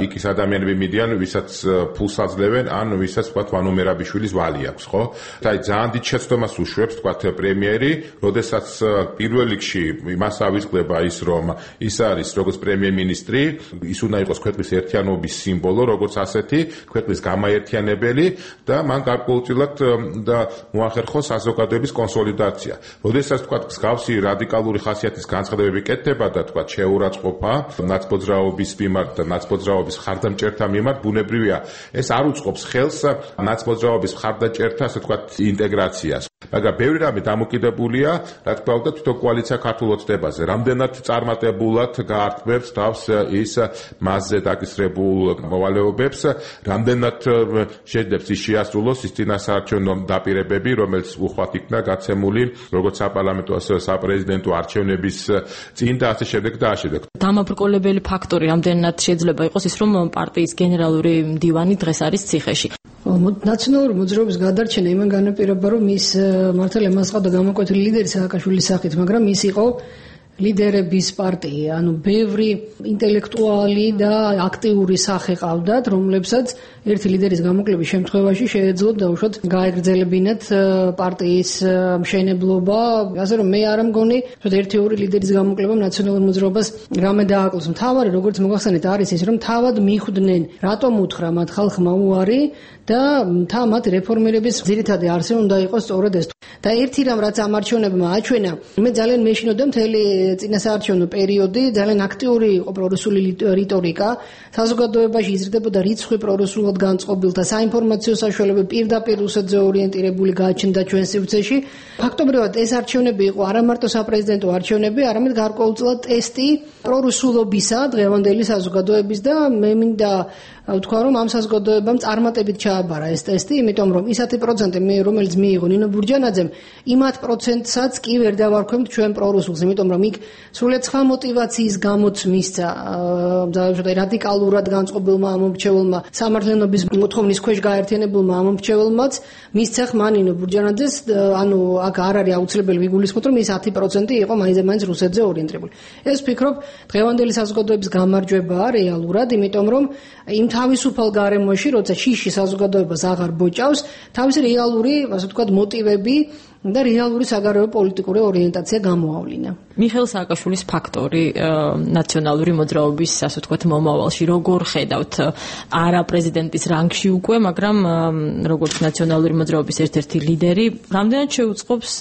იქ ის ადამიანები მიდიან, ვისაც ფულს აძლევენ, ან ვისაც თქვა ვანო მერაბიშვილის ვალი აქვს, ხო? აი ძალიან დიდ შეცდომას უშვებს თქვა პრემიერი, როდესაც პირველ რიგში მას ავიწყდება ის, რომ ის არის როგორც პრემიერ-მინისტრი, ის უნდა იყოს ქვეყნის ერთიანობის სიმბოლო, როგორც ასეთი, ქვეყნის გამაერთიანებელი და მან გარკვეულწილად და მოახერხოს საზოგადოების კონსოლიდაცია. როდესაც თქვა მსგავსი რადიკალური ხასიათის განცხადებები კეთდება და თქვა შეურაცხყოფა ნაცმოძრაობის მიმართ და ნაცმოძრაობის მხარდამჭერთა მიმართ, ბუნებრივია ეს არ უწყობს ხელს ნაცმოძრაობის მხარდაჭერთა, ასე ვთქვათ, ინტეგრაციას. მაგრამ ბევრი რამე დამოკიდებულია, რა თქმა უნდა, თვითონ კოალიცია ქართულ ოცნებაზე. რამდენად წარმატებულად გაართმევს თავს ის მასზე დაკისრებულ მოვალეობებს, რამდენად შეძლებს ის შეასრულოს ის წინასაარჩევნო დაპირებები, რომელიც უხვად იქნა გაცემული როგორც საპარლამენტო, ასევე საპრეზიდენტო არჩევნების წინ და ასე შემდეგ და ასე შემდეგ. დამაბრკოლებელი ფაქტორი რამდენად შეიძლება იყოს ის, რომ პარტიის გენერალური მდივანი დღეს არის ციხეში. ნაციონალური მოძრაობის გადარჩენა იმან განაპირობა, რომ ის მართალია მას ყავდა გამოკვეთილი ლიდერი სააკაშვილის სახით, მაგრამ ის იყო ლიდერების პარტია, ანუ ბევრი ინტელექტუალი და აქტიური სახე ყავდათ, რომლებსაც ერთი ლიდერის გამოკლების შემთხვევაში შეეძლოთ დაუშვათ გაეგრძელებინათ პარტიის მშენებლობა, ასე რომ მე არ მგონი, რომ ერთი ორი ლიდერის გამოკლებამ ნაციონალურ მოძრაობას რამე დააკლოს. მთავარი, როგორც მოგახსენეთ, არის ის, რომ თავად მიხვდნენ, რატომ უთხრა მათ ხალხმა უარი და მთა მათ რეფორმირების ძირითადი არსი უნდა იყოს სწორედ ეს. და ერთი რამ რაც ამ არჩევნებმა აჩვენა, მე ძალიან მეშინოდა მთელი წინასაარჩევნო პერიოდი, ძალიან აქტიური იყო პრორუსული რიტორიკა, საზოგადოებაში იზრდებოდა რიცხვი პრორუსულად განწყობილთა საინფორმაციო საშუალებები პირდაპირ რუსეთზე ორიენტირებული გააჩნდა ჩვენ სივრცეში. ფაქტობრივად ეს არჩევნები იყო არა მარტო საპრეზიდენტო არჩევნები, არამედ გარკვეულწილად ტესტი პრორუსულობისა დღევანდელი საზოგადოების და მე მინდა ვთქვა, რომ ამ საზოგადოებამ წარმატებით ჩააბარა ეს ტესტი, იმიტომ რომ ისეთი პროცენტი, რომელიც მიიღო ნინო ბურჯანაძემ, იმათ პროცენტსაც კი ვერ დავარქვევთ ჩვენ პრორუსულს, იმიტომ რომ იქ სრულიად სხვა მოტივაციის გამოც მისცა რადიკალურად განწყობილმა ამომრჩეველმა სამართლიანობის მოთხოვნის ქვეშ გაერთიანებულმა ამომრჩეველმაც მისცა ხმა ნინო ბურჯანაძეს, ანუ აქ არ არის აუცილებელი ვიგულისხმოთ, რომ ის ათი პროცენტი იყო მაინც რუსეთზე ორიენტირებული. ეს ვფიქრობ, დღევანდელი საზოგადოების გამარჯვებაა რეალურად, იმიტომ რომ იმ თავისუფალ გარემოში, როცა შიში საზოგადოებას აღარ ბოჭავს, თავისი რეალური, ასე ვთქვათ, მოტივები და რეალური საგარეო პოლიტიკური ორიენტაცია გამოავლინა. მიხეილ სააკაშვილის ფაქტორი ნაციონალური მოძრაობის, ასე ვთქვათ, მომავალში როგორ ხედავთ? არა პრეზიდენტის რანგში უკვე, მაგრამ როგორც ნაციონალური მოძრაობის ერთ-ერთი ლიდერი, რამდენად შეუწყობს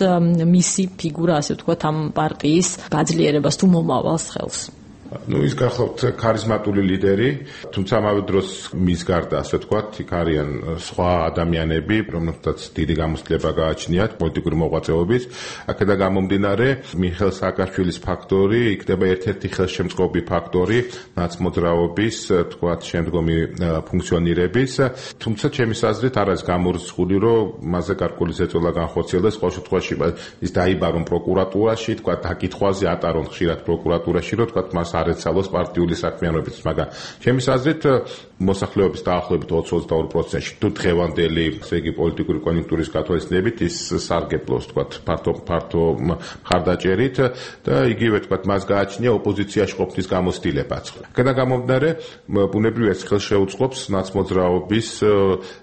მისი ფიგურა, ასე ვთქვათ, ამ პარტიის გაძლიერებას თუ მომავალს ხელს? ну ის გახლავთ ქარიზმატული ლიდერი, თუმცა ამავე დროს მის გარდა, ასე ვთქვათ, იქ არიან სხვა ადამიანები, რომლებსაც დიდი გამოცდილება გააჩნიათ პოლიტიკური მოღვაწეობის. აქედან გამომდინარე, მიხეილ სააკაშვილის ფაქტორი იქნება ერთ-ერთი ხელშემწყობი ფაქტორი ნაცმოძრაობის, ვთქვათ, შემდგომი ფუნქციონირების. თუმცა ჩემის აზრით არ არის გამორიცხული, რომ მასზე გარკვეული ზეწოლა განხორციელდეს. ყოველ შემთხვევაში ის დაიბარონ პროკურატურაში, ვთქვათ, დაკითხვაზე ატარონ ხშირად პროკურატურაში, რომ ვთქვათ, მას არ ეცალოს პარტიული საქმიანობით, მაგრამ ჩემის აზრით მოსახლეობის დაახლოებით ოცი ოცდაორი პროცენტში თუ დღევანდელი, ესე იგი პოლიტიკური კონიუნქტურის გათვალისწინებით ის სარგებლობს, ვთქვათ, ფართო ფართო მხარდაჭერით და იგივე, ვთქვათ, მას გააჩნია ოპოზიციაში ყოფნის გამოცდილებაც. აქედან გამომდინარე, ბუნებრივია ეს ხელს შეუწყობს ნაცმოძრაობის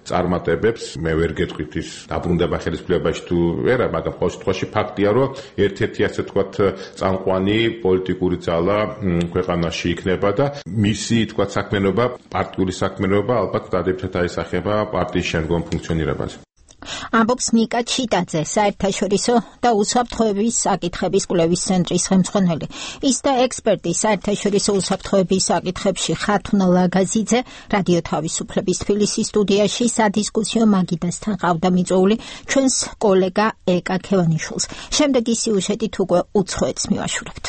წარმატებებს. მე ვერ გეტყვით ის დაბრუნდება ხელისუფლებაში თუ არა, მაგრამ ყოველ შემთხვევაში ფაქტია, რომ ერთ-ერთი, ასე ვთქვათ, წამყვანი პოლიტიკური ძალა ქვეყანაში იქნება და მისი, თქვათ, საქმიანობა, პარტიული საქმიანობა ალბათ დადებითად აისახება პარტიის შემდგომ ფუნქციონირებაზე. ამბობს ნიკა ჩიტაძე, საერთაშორისო და უსაფრთხოების საკითხების კვლევის ცენტრის ხელმძღვანელი. ის და ექსპერტი საერთაშორისო უსაფრთხოების საკითხებში ხათუნა ლაგაზიძე რადიო თავისუფლების თბილისის სტუდიაში სადისკუსიო მაგიდასთან ყავდა მიწვეული ჩვენს კოლეგა ეკა ქევანიშვილს. შემდეგი სიუჟეტით უკვე უცხოეთს მივაშურებთ.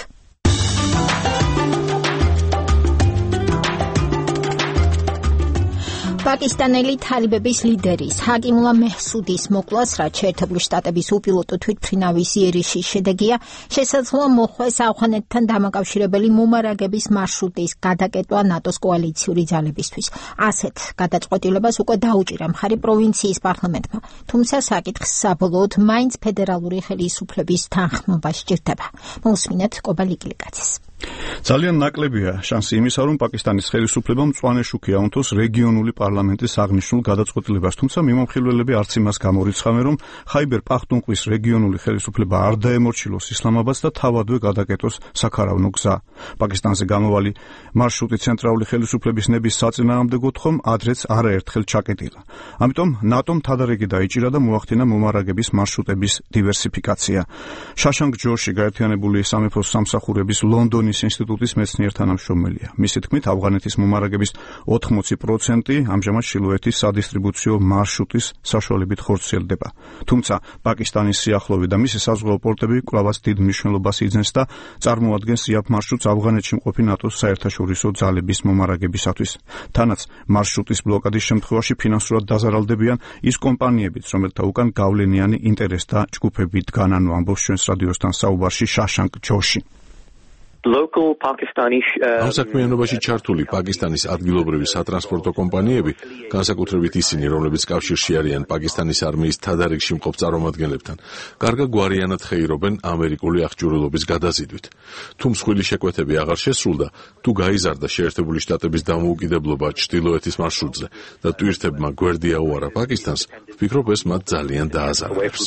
პაკისტანელი თალიბების ლიდერის ჰაკიმულა მეჰსუდის მოკვლას, რაც შეერთებული შტატების უპილოტო თვითმფრინავის იერიშის შედეგია, შესაძლოა მოხვეს ავღანეთთან დამაკავშირებელი მომარაგების მარშრუტის გადაკეტვა ნატოს კოალიციური ძალებისთვის. ასეთ გადაწყვეტილებას უკვე დაუჭირა მხარი პროვინციის პარლამენტმა, თუმცა საკითხს საბოლოოდ მაინც ფედერალური ხელისუფლების თანხმობა სჭირდება. მოусმინეთ კობა ლიკლიკაძეს. ძალიან ნაკლებია შანსი იმისა, რომ პაკისტანის ხელისუფლებამ მწვანე შუქი აუნთოს რეგიონული პარლამენტის აღნიშნულ გადაწყვეტილებას, თუმცა მიმომხილველები არც იმას გამორიცხავენ, რომ ხაიბერ პახტუნყვის რეგიონული ხელისუფლება არ დაემორჩილოს ისლამაბადს და თავადვე გადაკეტოს საქარავნო გზა. პაკისტანზე გამოვალი მარშრუტი ცენტრალური ხელისუფლების ნების საწინააღმდეგოდ ხომ ადრეც არაერთხელ ჩაკეტილა. ამიტომ ნატომ თადარიგი დაიჭირა და მოახდინა მომარაგების მარშრუტების დივერსიფიკაცია. შაშანგ ჯორში გაერთიანებული სამეფოს სამსახურების ლონდონის ინსტიტუტის მეცნიერ თანამშრომელია. მისი თქმით, ავღანეთის მომარაგების ოთხმოცი პროცენტი ამჟამად ჩრდილოეთის სადისტრიბუციო მარშრუტის საშუალებით ხორციელდება. თუმცა პაკისტანის სიახლოვე და მისი საზღვაო პორტები კვლავაც დიდ მნიშვნელობას იძენს და წარმოადგენს იაფ მარშრუტს ავღანეთში მყოფი ნატოს საერთაშორისო ძალების მომარაგებისათვის. თანაც მარშრუტის ბლოკადის შემთხვევაში ფინანსურად დაზარალდებიან ის კომპანიებიც, რომელთა უკან გავლენიანი ინტერესთა ჯგუფები დგანან, ამბობს ჩვენს რადიოსთან საუბარში შაშანგ ჯოში. ამ საქმიანობაში ჩართული პაკისტანის ადგილობრივი სატრანსპორტო კომპანიები, განსაკუთრებით ისინი, რომლებიც კავშირში არიან პაკისტანის არმიის თადარიგში მყოფ წარმომადგენლებთან, კარგად გვარიანად ხეირობენ ამერიკული აღჭურვილობის გადაზიდვით. თუ მსხვილი შეკვეთები აღარ შესრულდა, თუ გაიზარდა შეერთებული შტატების დამოუკიდებლობა ჩრდილოეთის მარშრუტზე და ტვირთებმა გვერდი აუარა პაკისტანს, ვფიქრობ, ეს მათ ძალიან დააზარალებს.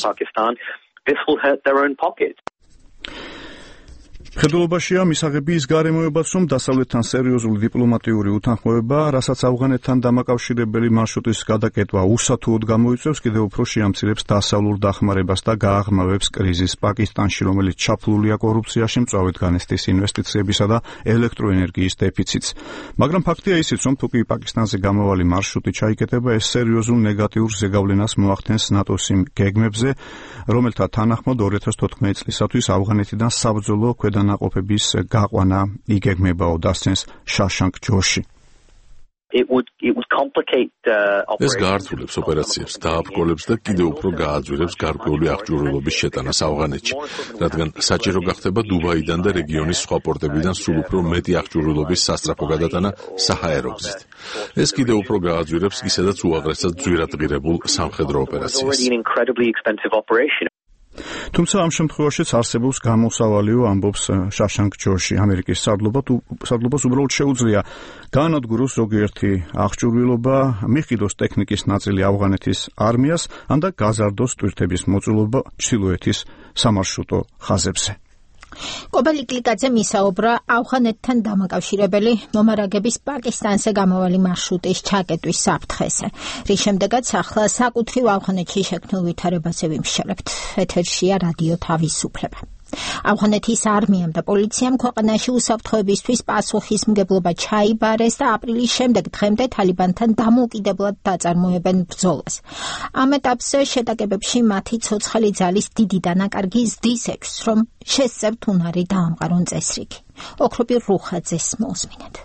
მხედველობაშია მისაღები ის გარემოებაც, რომ დასავლეთთან სერიოზული დიპლომატიური უთანხმოება, რასაც ავღანეთთან დამაკავშირებელი მარშრუტის გადაკეთვა უსათუოდ გამოიწვევს, კიდევ უფრო შეამცირებს დასავლურ დახმარებას და გააღრმავებს კრიზისს პაკისტანში, რომელიც ჩაფლულია კორუფციაში, მწვავედ განესტის ინვესტიციებისა და ელექტროენერგიის დეფიციტს. მაგრამ ფაქტია ისიც, რომ თუ კი პაკისტანზე გამავალი მარშრუტი ჩაიკეტება, ეს სერიოზულ ნეგატიურ ზეგავლენას მოახდენს ნატოს იმ გეგმებზე, რომელთა თანახმად ორი ათას თოთხმეტი წლისათვის ავღანეთიდან საბრძოლო ქვედა ნაყოფების გაყვანა იგეგმებაო, დასცენს შაშანკ ჯოში. ეს გაართულებს ოპერაციებს, დააბრკოლებს და კიდევ უფრო გააძვირებს გარკვეული აღჭურვილობის შეტანას ავღანეთში, რადგან საჭირო გახდება დუბაიდან და რეგიონის სხვა პორტებიდან სულ უფრო მეტი აღჭურვილობის სასწრაფო გადატანა საჰაერო გზით. ეს კიდევ უფრო გააძვირებს ისედაც უაღრესად ძვირად ღირებულ სამხედრო ოპერაციას. თუმცა ამ შემთხვევაშიც არსებობს გამოსავალიო, ამბობს შაშანკ ჯოში. ამერიკის სარდლობას უბრალოდ შეუძლია გაანადგუროს ზოგიერთი აღჭურვილობა, მიჰყიდოს ტექნიკის ნაწილი ავღანეთის არმიას, ან და გაზარდოს ტვირთების მოწყობა ჩრდილოეთის სამარშრუტო ხაზებზე. კობა ლიკლიკაძე მისაუბრა ავღანეთთან დამაკავშირებელი მომარაგების პაკისტანზე გამავალი მარშრუტის ჩაკეტვის საფრთხეზე, რის შემდეგაც ახლა საკუთრივ ავღანეთში შექმნილ ვითარებაზე ვიმსჯელებთ. ეთერშია რადიო თავისუფლება. ავღანეთის არმიამ და პოლიციამ ქვეყანაში უსაფრთხოებისთვის პასუხისმგებლობა ჩაიბარეს და აპრილის შემდეგ დღემდე თალიბანთან დამოუკიდებლად დაწარმოებენ ბრძოლას. ამ ეტაპზე შეტაკებებში მათი ცოცხალი ძალის დიდი დანაკარგი ზრდის ეჭვს, რომ შესწევთ უნარი დაამყარონ წესრიგი. ოქროპი რუხაძეს მოსმინეთ.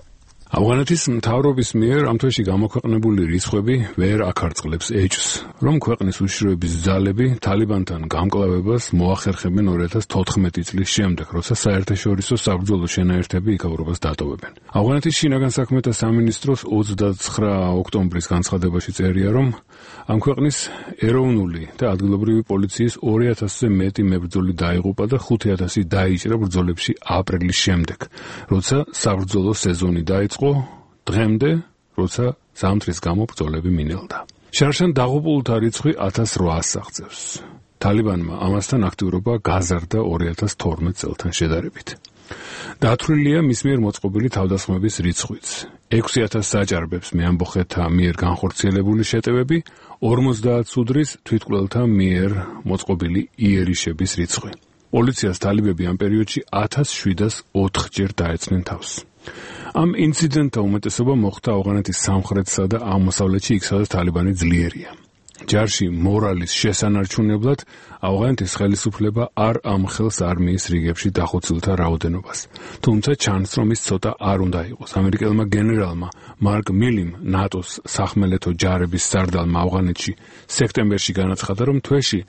ავღანეთის მთავრობის მიერ ამ თვეში გამოქვეყნებული რიცხვები ვერ აქარწყლებს ეჭვს, რომ ქვეყნის უშიშროების ძალები თალიბანთან გამკლავებას მოახერხებენ ორი ათას თოთხმეტი წლის შემდეგ, როცა საერთაშორისო საბრძოლო შენაერთები იქაურობას დატოვებენ. ავღანეთის შინაგან საქმეთა სამინისტროს ოცდაცხრა ოქტომბრის განცხადებაში წერია, რომ ამ ქვეყნის ეროვნული და ადგილობრივი პოლიციის ორი ათასზე მეტი მებრძოლი დაიღუპა და ხუთი ათასი დაიჭრა ბრძოლებში აპრილის შემდეგ, როცა საბრძოლო სეზონი დაიწყო დღემდე, როცა ზამთრის გამო ბრძოლები მინელდა. შარშან დაღუპულთა რიცხვი ათას რვაას აღწევს. თალიბანმა ამასთან აქტიურობა გაზარდა ორი ათას თორმეტ წელთან შედარებით. დათვლილია მის მიერ მოწყობილი თავდასხმების რიცხვიც. ექვსი ათას საჭარბებს მეამბოხეთა მიერ განხორციელებული შეტევები, ორმოცდაათ სუდრის თვითმკვლელთა მიერ მოწყობილი იერიშების რიცხვი. პოლიციას თალიბები ამ პერიოდში ათას შვიდას ოთხჯერ დაეცნენ თავს. ამ ინციდენტთა უმეტესობა მოხდა ავღანეთის სამხრეთსა და აღმოსავლეთში, იქ სადაც თალიბანი ძლიერია. ჯარში მორალის შესანარჩუნებლად ავღანეთის ხელისუფლება არ ამხელს არმიის რიგებში დახოცილთა რაოდენობას. თუმცა ჩანს, რომ ის ცოტა არ უნდა იყოს. ამერიკელმა გენერალმა მარკ მილიმ, ნატოს სახმელეთო ჯარების სარდალმა ავღანეთში სექტემბერში განაცხადა, რომ თვეში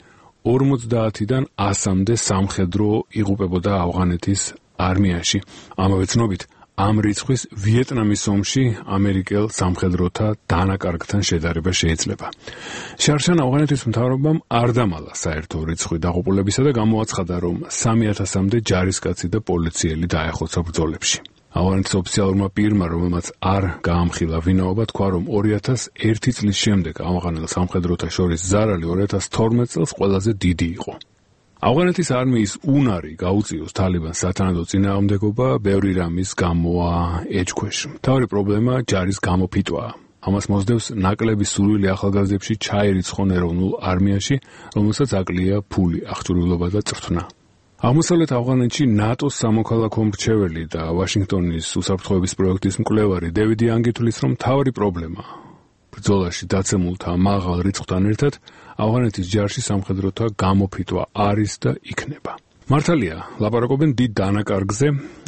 ორმოცდაათიდან ასამდე სამხედრო იღუპებოდა ავღანეთის არმიაში. ამავე ცნობით, ამ რიცხვის ვიეტნამის ომში ამერიკელ სამხედროთა დანაკარგთან შედარება შეიძლება. შარშან ავღანეთის მთავრობამ არ დამალა საერთო რიცხვი დაღუპულებისა და გამოაცხადა, რომ სამი ათასამდე ჯარისკაცი და პოლიციელი დაეხოცა ბრძოლებში. ავღანეთის ოფიციალურმა პირმა, რომელმაც არ გაამხილა ვინაობა, თქვა, რომ ორი ათას ერთი წლის შემდეგ ავღანელ სამხედროთა შორის ზარალი ორი ათას თორმეტ წელს ყველაზე დიდი იყო. ავღანეთის არმიის უნარი გაუწიოს თალიბანს სათანადო წინააღმდეგობა ბევრი რამის გამოა ეჭქვეშ. მთავარი პრობლემა ჯარის გამოფიტვაა. ამას მოსდევს ნაკლები სურვილი ახალგაზრდებში ჩაერიცხონ ეროვნულ არმიაში, რომელსაც აკლია ფული, აღჭურვილობა და წრთნა. აღმოსავლეთ ავღანეთში ნატოს სამოქალაქო მრჩეველი და ვაშინგტონის უსაფრთხოების პროექტის მკვლევარი დევიდი ანგი თვლის, რომ მთავარი პრობლემა ბრძოლაში დაცემულთა მაღალ რიცხვთან ერთად ავღანეთის ჯარში სამხედროთა გამოფიტვა არის და იქნება. მართალია, ლაპარაკობენ დიდ დანაკარგზე,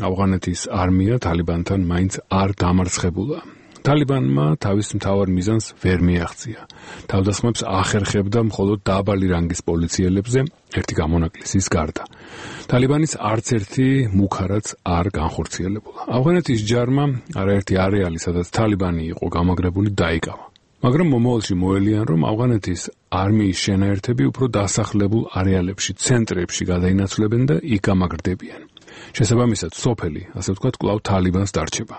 ავღანეთის არმია თალიბანთან მაინც არ დამარცხებულა. თალიბანმა თავის მთავარ მიზანს ვერ მიაღწია. თავდასხმებს ახერხებდა მხოლოდ დაბალი რანგის პოლიციელებზე ერთი გამონაკლისის გარდა. თალიბანის არც ერთი მუქარაც არ განხორციელებულა. ავღანეთის ჯარმა არაერთი არეალი, სადაც თალიბანი იყო გამაგრებული, დაიკავა. მაგრამ მომავალში მოელიან, რომ ავღანეთის არმიის შენაერთები უფრო დასახლებულ არეალებში, ცენტრებში გადაინაცვლებენ და იქ გამაგრდებიან. შესაბამისად, სოფელი, ასე ვთქვათ, კვლავ თალიბანს დარჩება.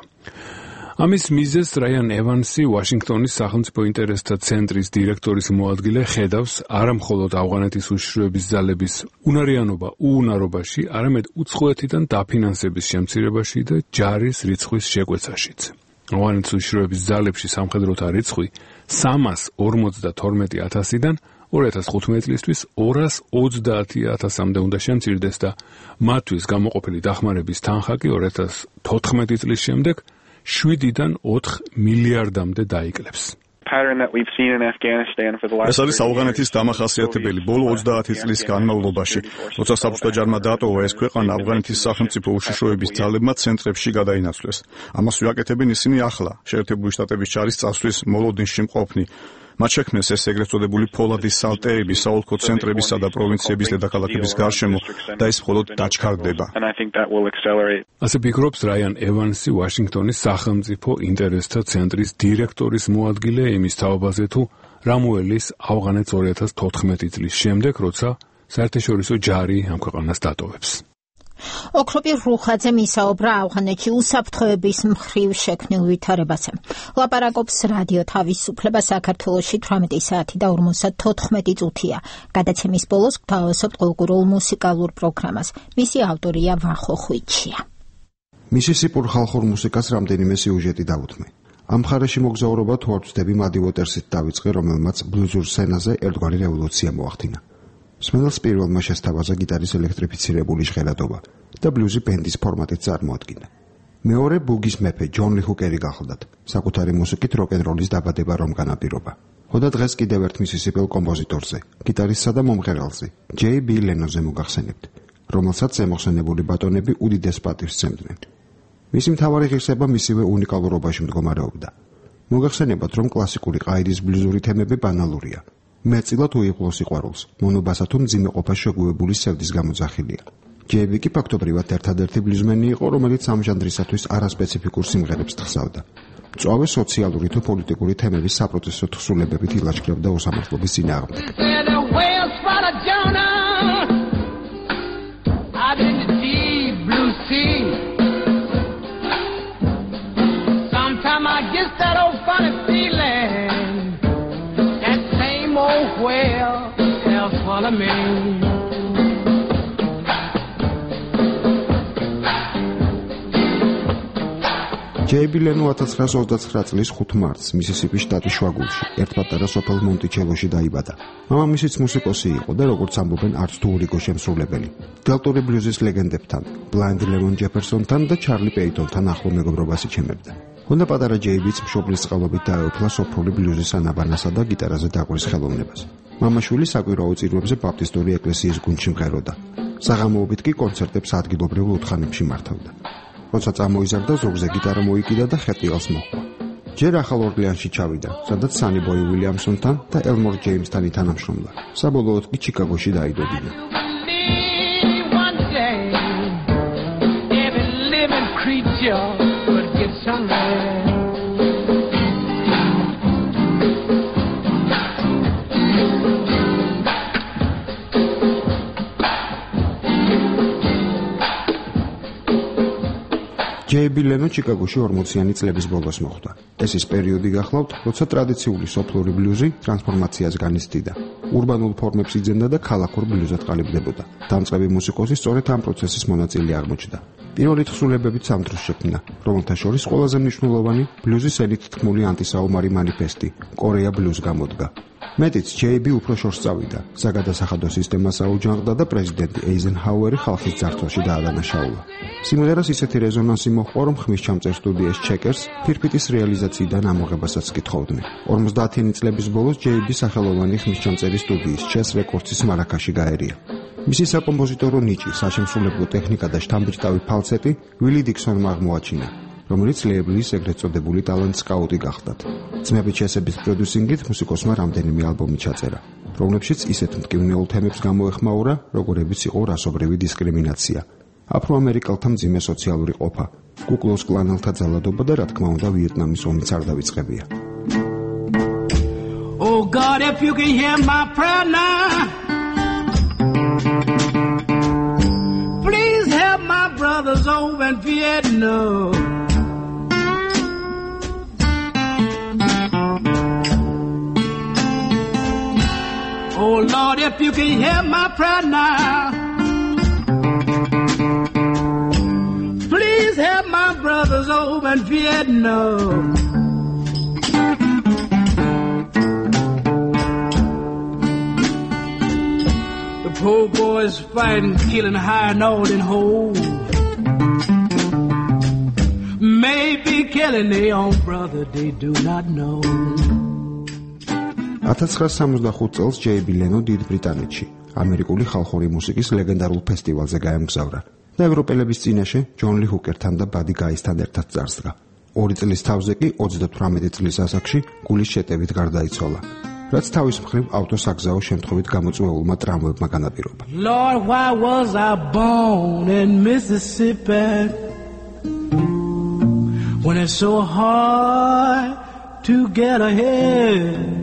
ამის მიზეზს რაიან ევანსი, ვაშინგტონის სახელმწიფო ინტერესთა ცენტრის დირექტორის მოადგილე, ხედავს არამხოლოდ ავღანეთის უშიშროების ძალების უნარიანობა უუნარობაში, არამედ უცხოეთიდან დაფინანსების შემცირებაში და ჯარის რიცხვის შეკვეცაშიც. ავღანეთის უშიშროების ძალებში სამხედროთა რიცხვი სამას ორმოცდათორმეტი ათასიდან ორი ათას ხუთმეტი წლისთვის ორას ოცდაათი ათასამდე უნდა შემცირდეს და მათთვის გამოყოფილი დახმარების თანხა კი ორი ათას თოთხმეტი წლის შემდეგ შვიდიდან ოთხ მილიარდამდე დაიკლებს. ეს არის ავღანეთის დამახასიათებელი ბოლო ოცდაათი წლის განმავლობაში, როცა საბჭოთა ჯარმა დატოვა ეს ქვეყანა, ავღანეთის სახელმწიფო უშიშროების ძალებმა ცენტრებში გადაინაცვლეს. ამას ვიაკეთებენ ისინი ახლა, შეერთებული შტატების ჯარის წასვლის მოლოდინში მყოფნი. მათ შექმნეს ეს ეგრეთ წოდებული ფოლადის სალტეები საოლქო ცენტრებისა და პროვინციების დედაქალაქების გარშემო და ეს მხოლოდ დაჩქარდება. ასე ფიქრობს რაიან ევანსი, ვაშინგტონის სახელმწიფო ინტერესთა ცენტრის დირექტორის მოადგილე იმის თაობაზე, თუ რა მოელის ავღანეთს ორი ათას თოთხმეტი წლის შემდეგ, როცა საერთაშორისო ჯარი ამ ქვეყანას დატოვებს. ოქროპირ რუხაძემ ისაუბრა ავღანეთში უსაფრთხოების მხრივ შექმნილ ვითარებაზე. ლაპარაკობს რადიო თავისუფლება საქართველოში თვრამეტი საათი და ორმოცდათოთხმეტი წუთია. გადაცემის ბოლოს გვთავაზობთ კულტურულ მუსიკალურ პროგრამას. მისი ავტორია ვახო ხვიჩია. მისისიპურ ხალხურ მუსიკას რამდენიმე სიუჟეტი დაუთმე. ამ მხარეში მოგზაურობა თუ არ ვწდები მადი უოტერსით დავიწყე, რომელმაც ბლუზურ სცენაზე ერთგვარი რევოლუცია მოახდინა. მსმენელს პირველმა შესთავაზა გიტარის ელექტრიფიცირებული ჟღერადობა და ბლუზი ბენდის ფორმატით წარმოადგინა. მეორე ბუგის მეფე ჯონ ლი ჰუკერი გახლდათ, საკუთარი მუსიკით როკ-ენ-როლის დაბადება რომ განაპირობა. ხოდა დღეს კიდევ ერთ მისისიპელ კომპოზიტორზე, გიტარისტსა და მომღერალზე, ჯეი ბი ლენონზე მოგახსენებთ, რომელსაც ზემოხსენებული ბატონები უდიდეს პატივს სცემდნენ. მისი მთავარი ღირსება მისივე უნიკალურობაში მდგომარეობდა. მოგახსენებათ, რომ კლასიკური ყაიდის ბლუზური თემები ბანალურია. მეტწილად უიღბლო სიყვარულს, მონობასა თუ მძიმე ყოფას შეგუებული სევდის გამოძახილია. ჯეი კი ფაქტობრივად ერთადერთი ბლუზმენი იყო, რომელიც ამ ჟანრისათვის არასპეციფიკურ სიმღერებს თხზავდა. მწვავე სოციალური თუ პოლიტიკური თემების საპროტესტო თხზულებებით ილაშქრებდა უსამართლობის წინააღმდეგ. ჯეი ბი ლენო ათას ცხრაას ოცდაცხრა წლის ხუთ მარტს მისისიპის შტატის შუაგულში, ერთ პატარა სოფელ მონტიჩელოში დაიბადა. მამამისიც მუსიკოსი იყო და როგორც ამბობენ, არც თუ ურიგო შემსრულებელი. დელტური ბლუზის ლეგენდებთან, ბლაინდ ლემონ ჯეფერსონთან და ჩარლი პეიტონთან ახლო მეგობრობას იჩემებდა. ჰონდა პატარა ჯეიბიც მშობლის წყალობით დაეუფლა სოფრული ბლუზის ანაბანასა და გიტარაზე დაკვრის ხელოვნებას. მამაშვილი საკვირაო წირვებზე ბაპტისტური ეკლესიის გუნდში მღეროდა. საღამოობით კი კონცერტებს ადგილობრივ უთხანებში მართავდა. როცა წამოიზარდა, ზოგზე გიტარა მოიკიდა და ხეტიალს მოჰყვა. ჯერ ახალ ორლეანში ჩავიდა, სადაც სანი ბოი უილიამსონთან და ელმორ ჯეიმსთან ითანამშრომლა. საბოლოოდ კი ჩიკაგოში დაიდოდინა. ჯეი ბი ლენო ჩიკაგოში ორმოციანი წლების ბოლოს მოხვდა. ეს ის პერიოდი გახლავთ, როცა ტრადიციული სოფლური ბლუზი ტრანსფორმაციას განიცდიდა. ურბანულ ფორმებს იძენდა და ქალაქურ ბლუზად ყალიბდებოდა. დამწყები მუსიკოსი სწორედ ამ პროცესის მონაწილე აღმოჩნდა. პირველი თხზულებებით სამ დროს შექმნა, რომელთა შორის ყველაზე მნიშვნელოვანი ბლუზის ელით თქმული ანტისაომარი მანიფესტი, კორეა ბლუზ გამოდგა. მეტიც ჯეი ბი უფრო შორს წავიდა, საგადასახადო სისტემას აუჯანყდა და პრეზიდენტი ეიზენჰაუერი ხალხის ძართვაში დაადანაშაულა. სიმღერას ისეთი რეზონანსი მოჰყვა, რომ ხმისჩამწერ სტუდიას ჩეკერს ფირფიტის რეალიზაციიდან ამოღებასაც კითხოვდნენ. ორმოცდაათიანი წლების ბოლოს ჯეი ბი სახელოვანი ხმისჩამწერი სტუდიის ჩეს რეკორდსის მარაკაში გაერია. მისი საკომპოზიტორო ნიჭი, საშემსრულებლო ტექნიკა და შთამბეჭდავი ფალცეტი ვილი დიქსონმა აღმოაჩინა, რომელიც ლეიბლის ეგრეთ წოდებული ტალანტ სკაუტი გახდათ. ძმების ჩესების პროდიუსინგით მუსიკოსმა რამდენიმე ალბომი ჩაწერა, რომლებშიც ისეთ მტკივნეულ თემებს გამოეხმაურა, როგორებიც იყო რასობრივი დისკრიმინაცია, აფროამერიკელთა მძიმე სოციალური ყოფა, კუკლუს კლანელთა ძალადობა და რა თქმა უნდა ვიეტნამის ომიც არ დავიწყებია. Oh God, if you can hear my prayer now, please help my brothers over in Vietnam. Oh Lord, if you can hear my prayer now, please help my brothers over in Vietnam. The poor boys fighting, killing, hiding all in holes. Maybe killing their own brother, they do not know. ათას ცხრაასი სამოცდახუთ წელს ჯეი ლენო დიდ ბრიტანეთში, ამერიკული ხალხური მუსიკის ლეგენდარულ ფესტივალზე გაემგზავრა და ევროპელების წინაშე ჯონ ლი ჰუკერთან და ბადი გაისთან ერთად წარსდგა. ორი წლის თავზე კი ოცდათვრამეტი წლის ასაკში გულის შეტევით გარდაიცვალა, რაც თავის მხრივ ავტოსაგზაო შემთხვევით გამოწვეულმა ტრამვებმა განაპირობა. Lord, why was I born in Mississippi when it's so hard to get ahead?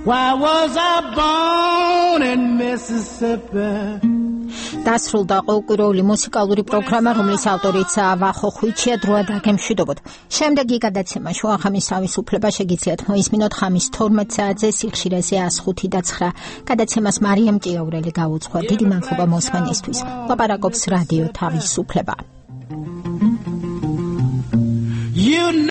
Why was I born in Mississippi? დასრულდა ყოველკვირეული მუსიკალური პროგრამა, რომლის ავტორიცაა ვახო ხვიჩია. დროა დაგემშვიდობოთ. შემდეგი გადაცემა შუახამის თავისუფლება შეგიძლიათ მოისმინოთ ხამის თორმეტ საათზე სიხშირეზე ას ხუთი და ცხრა. გადაცემას მარიამ ჭიაურელი გაუძღვა. დიდი მადლობა მოსმენისთვის. ლაპარაკობს რადიო თავისუფლება.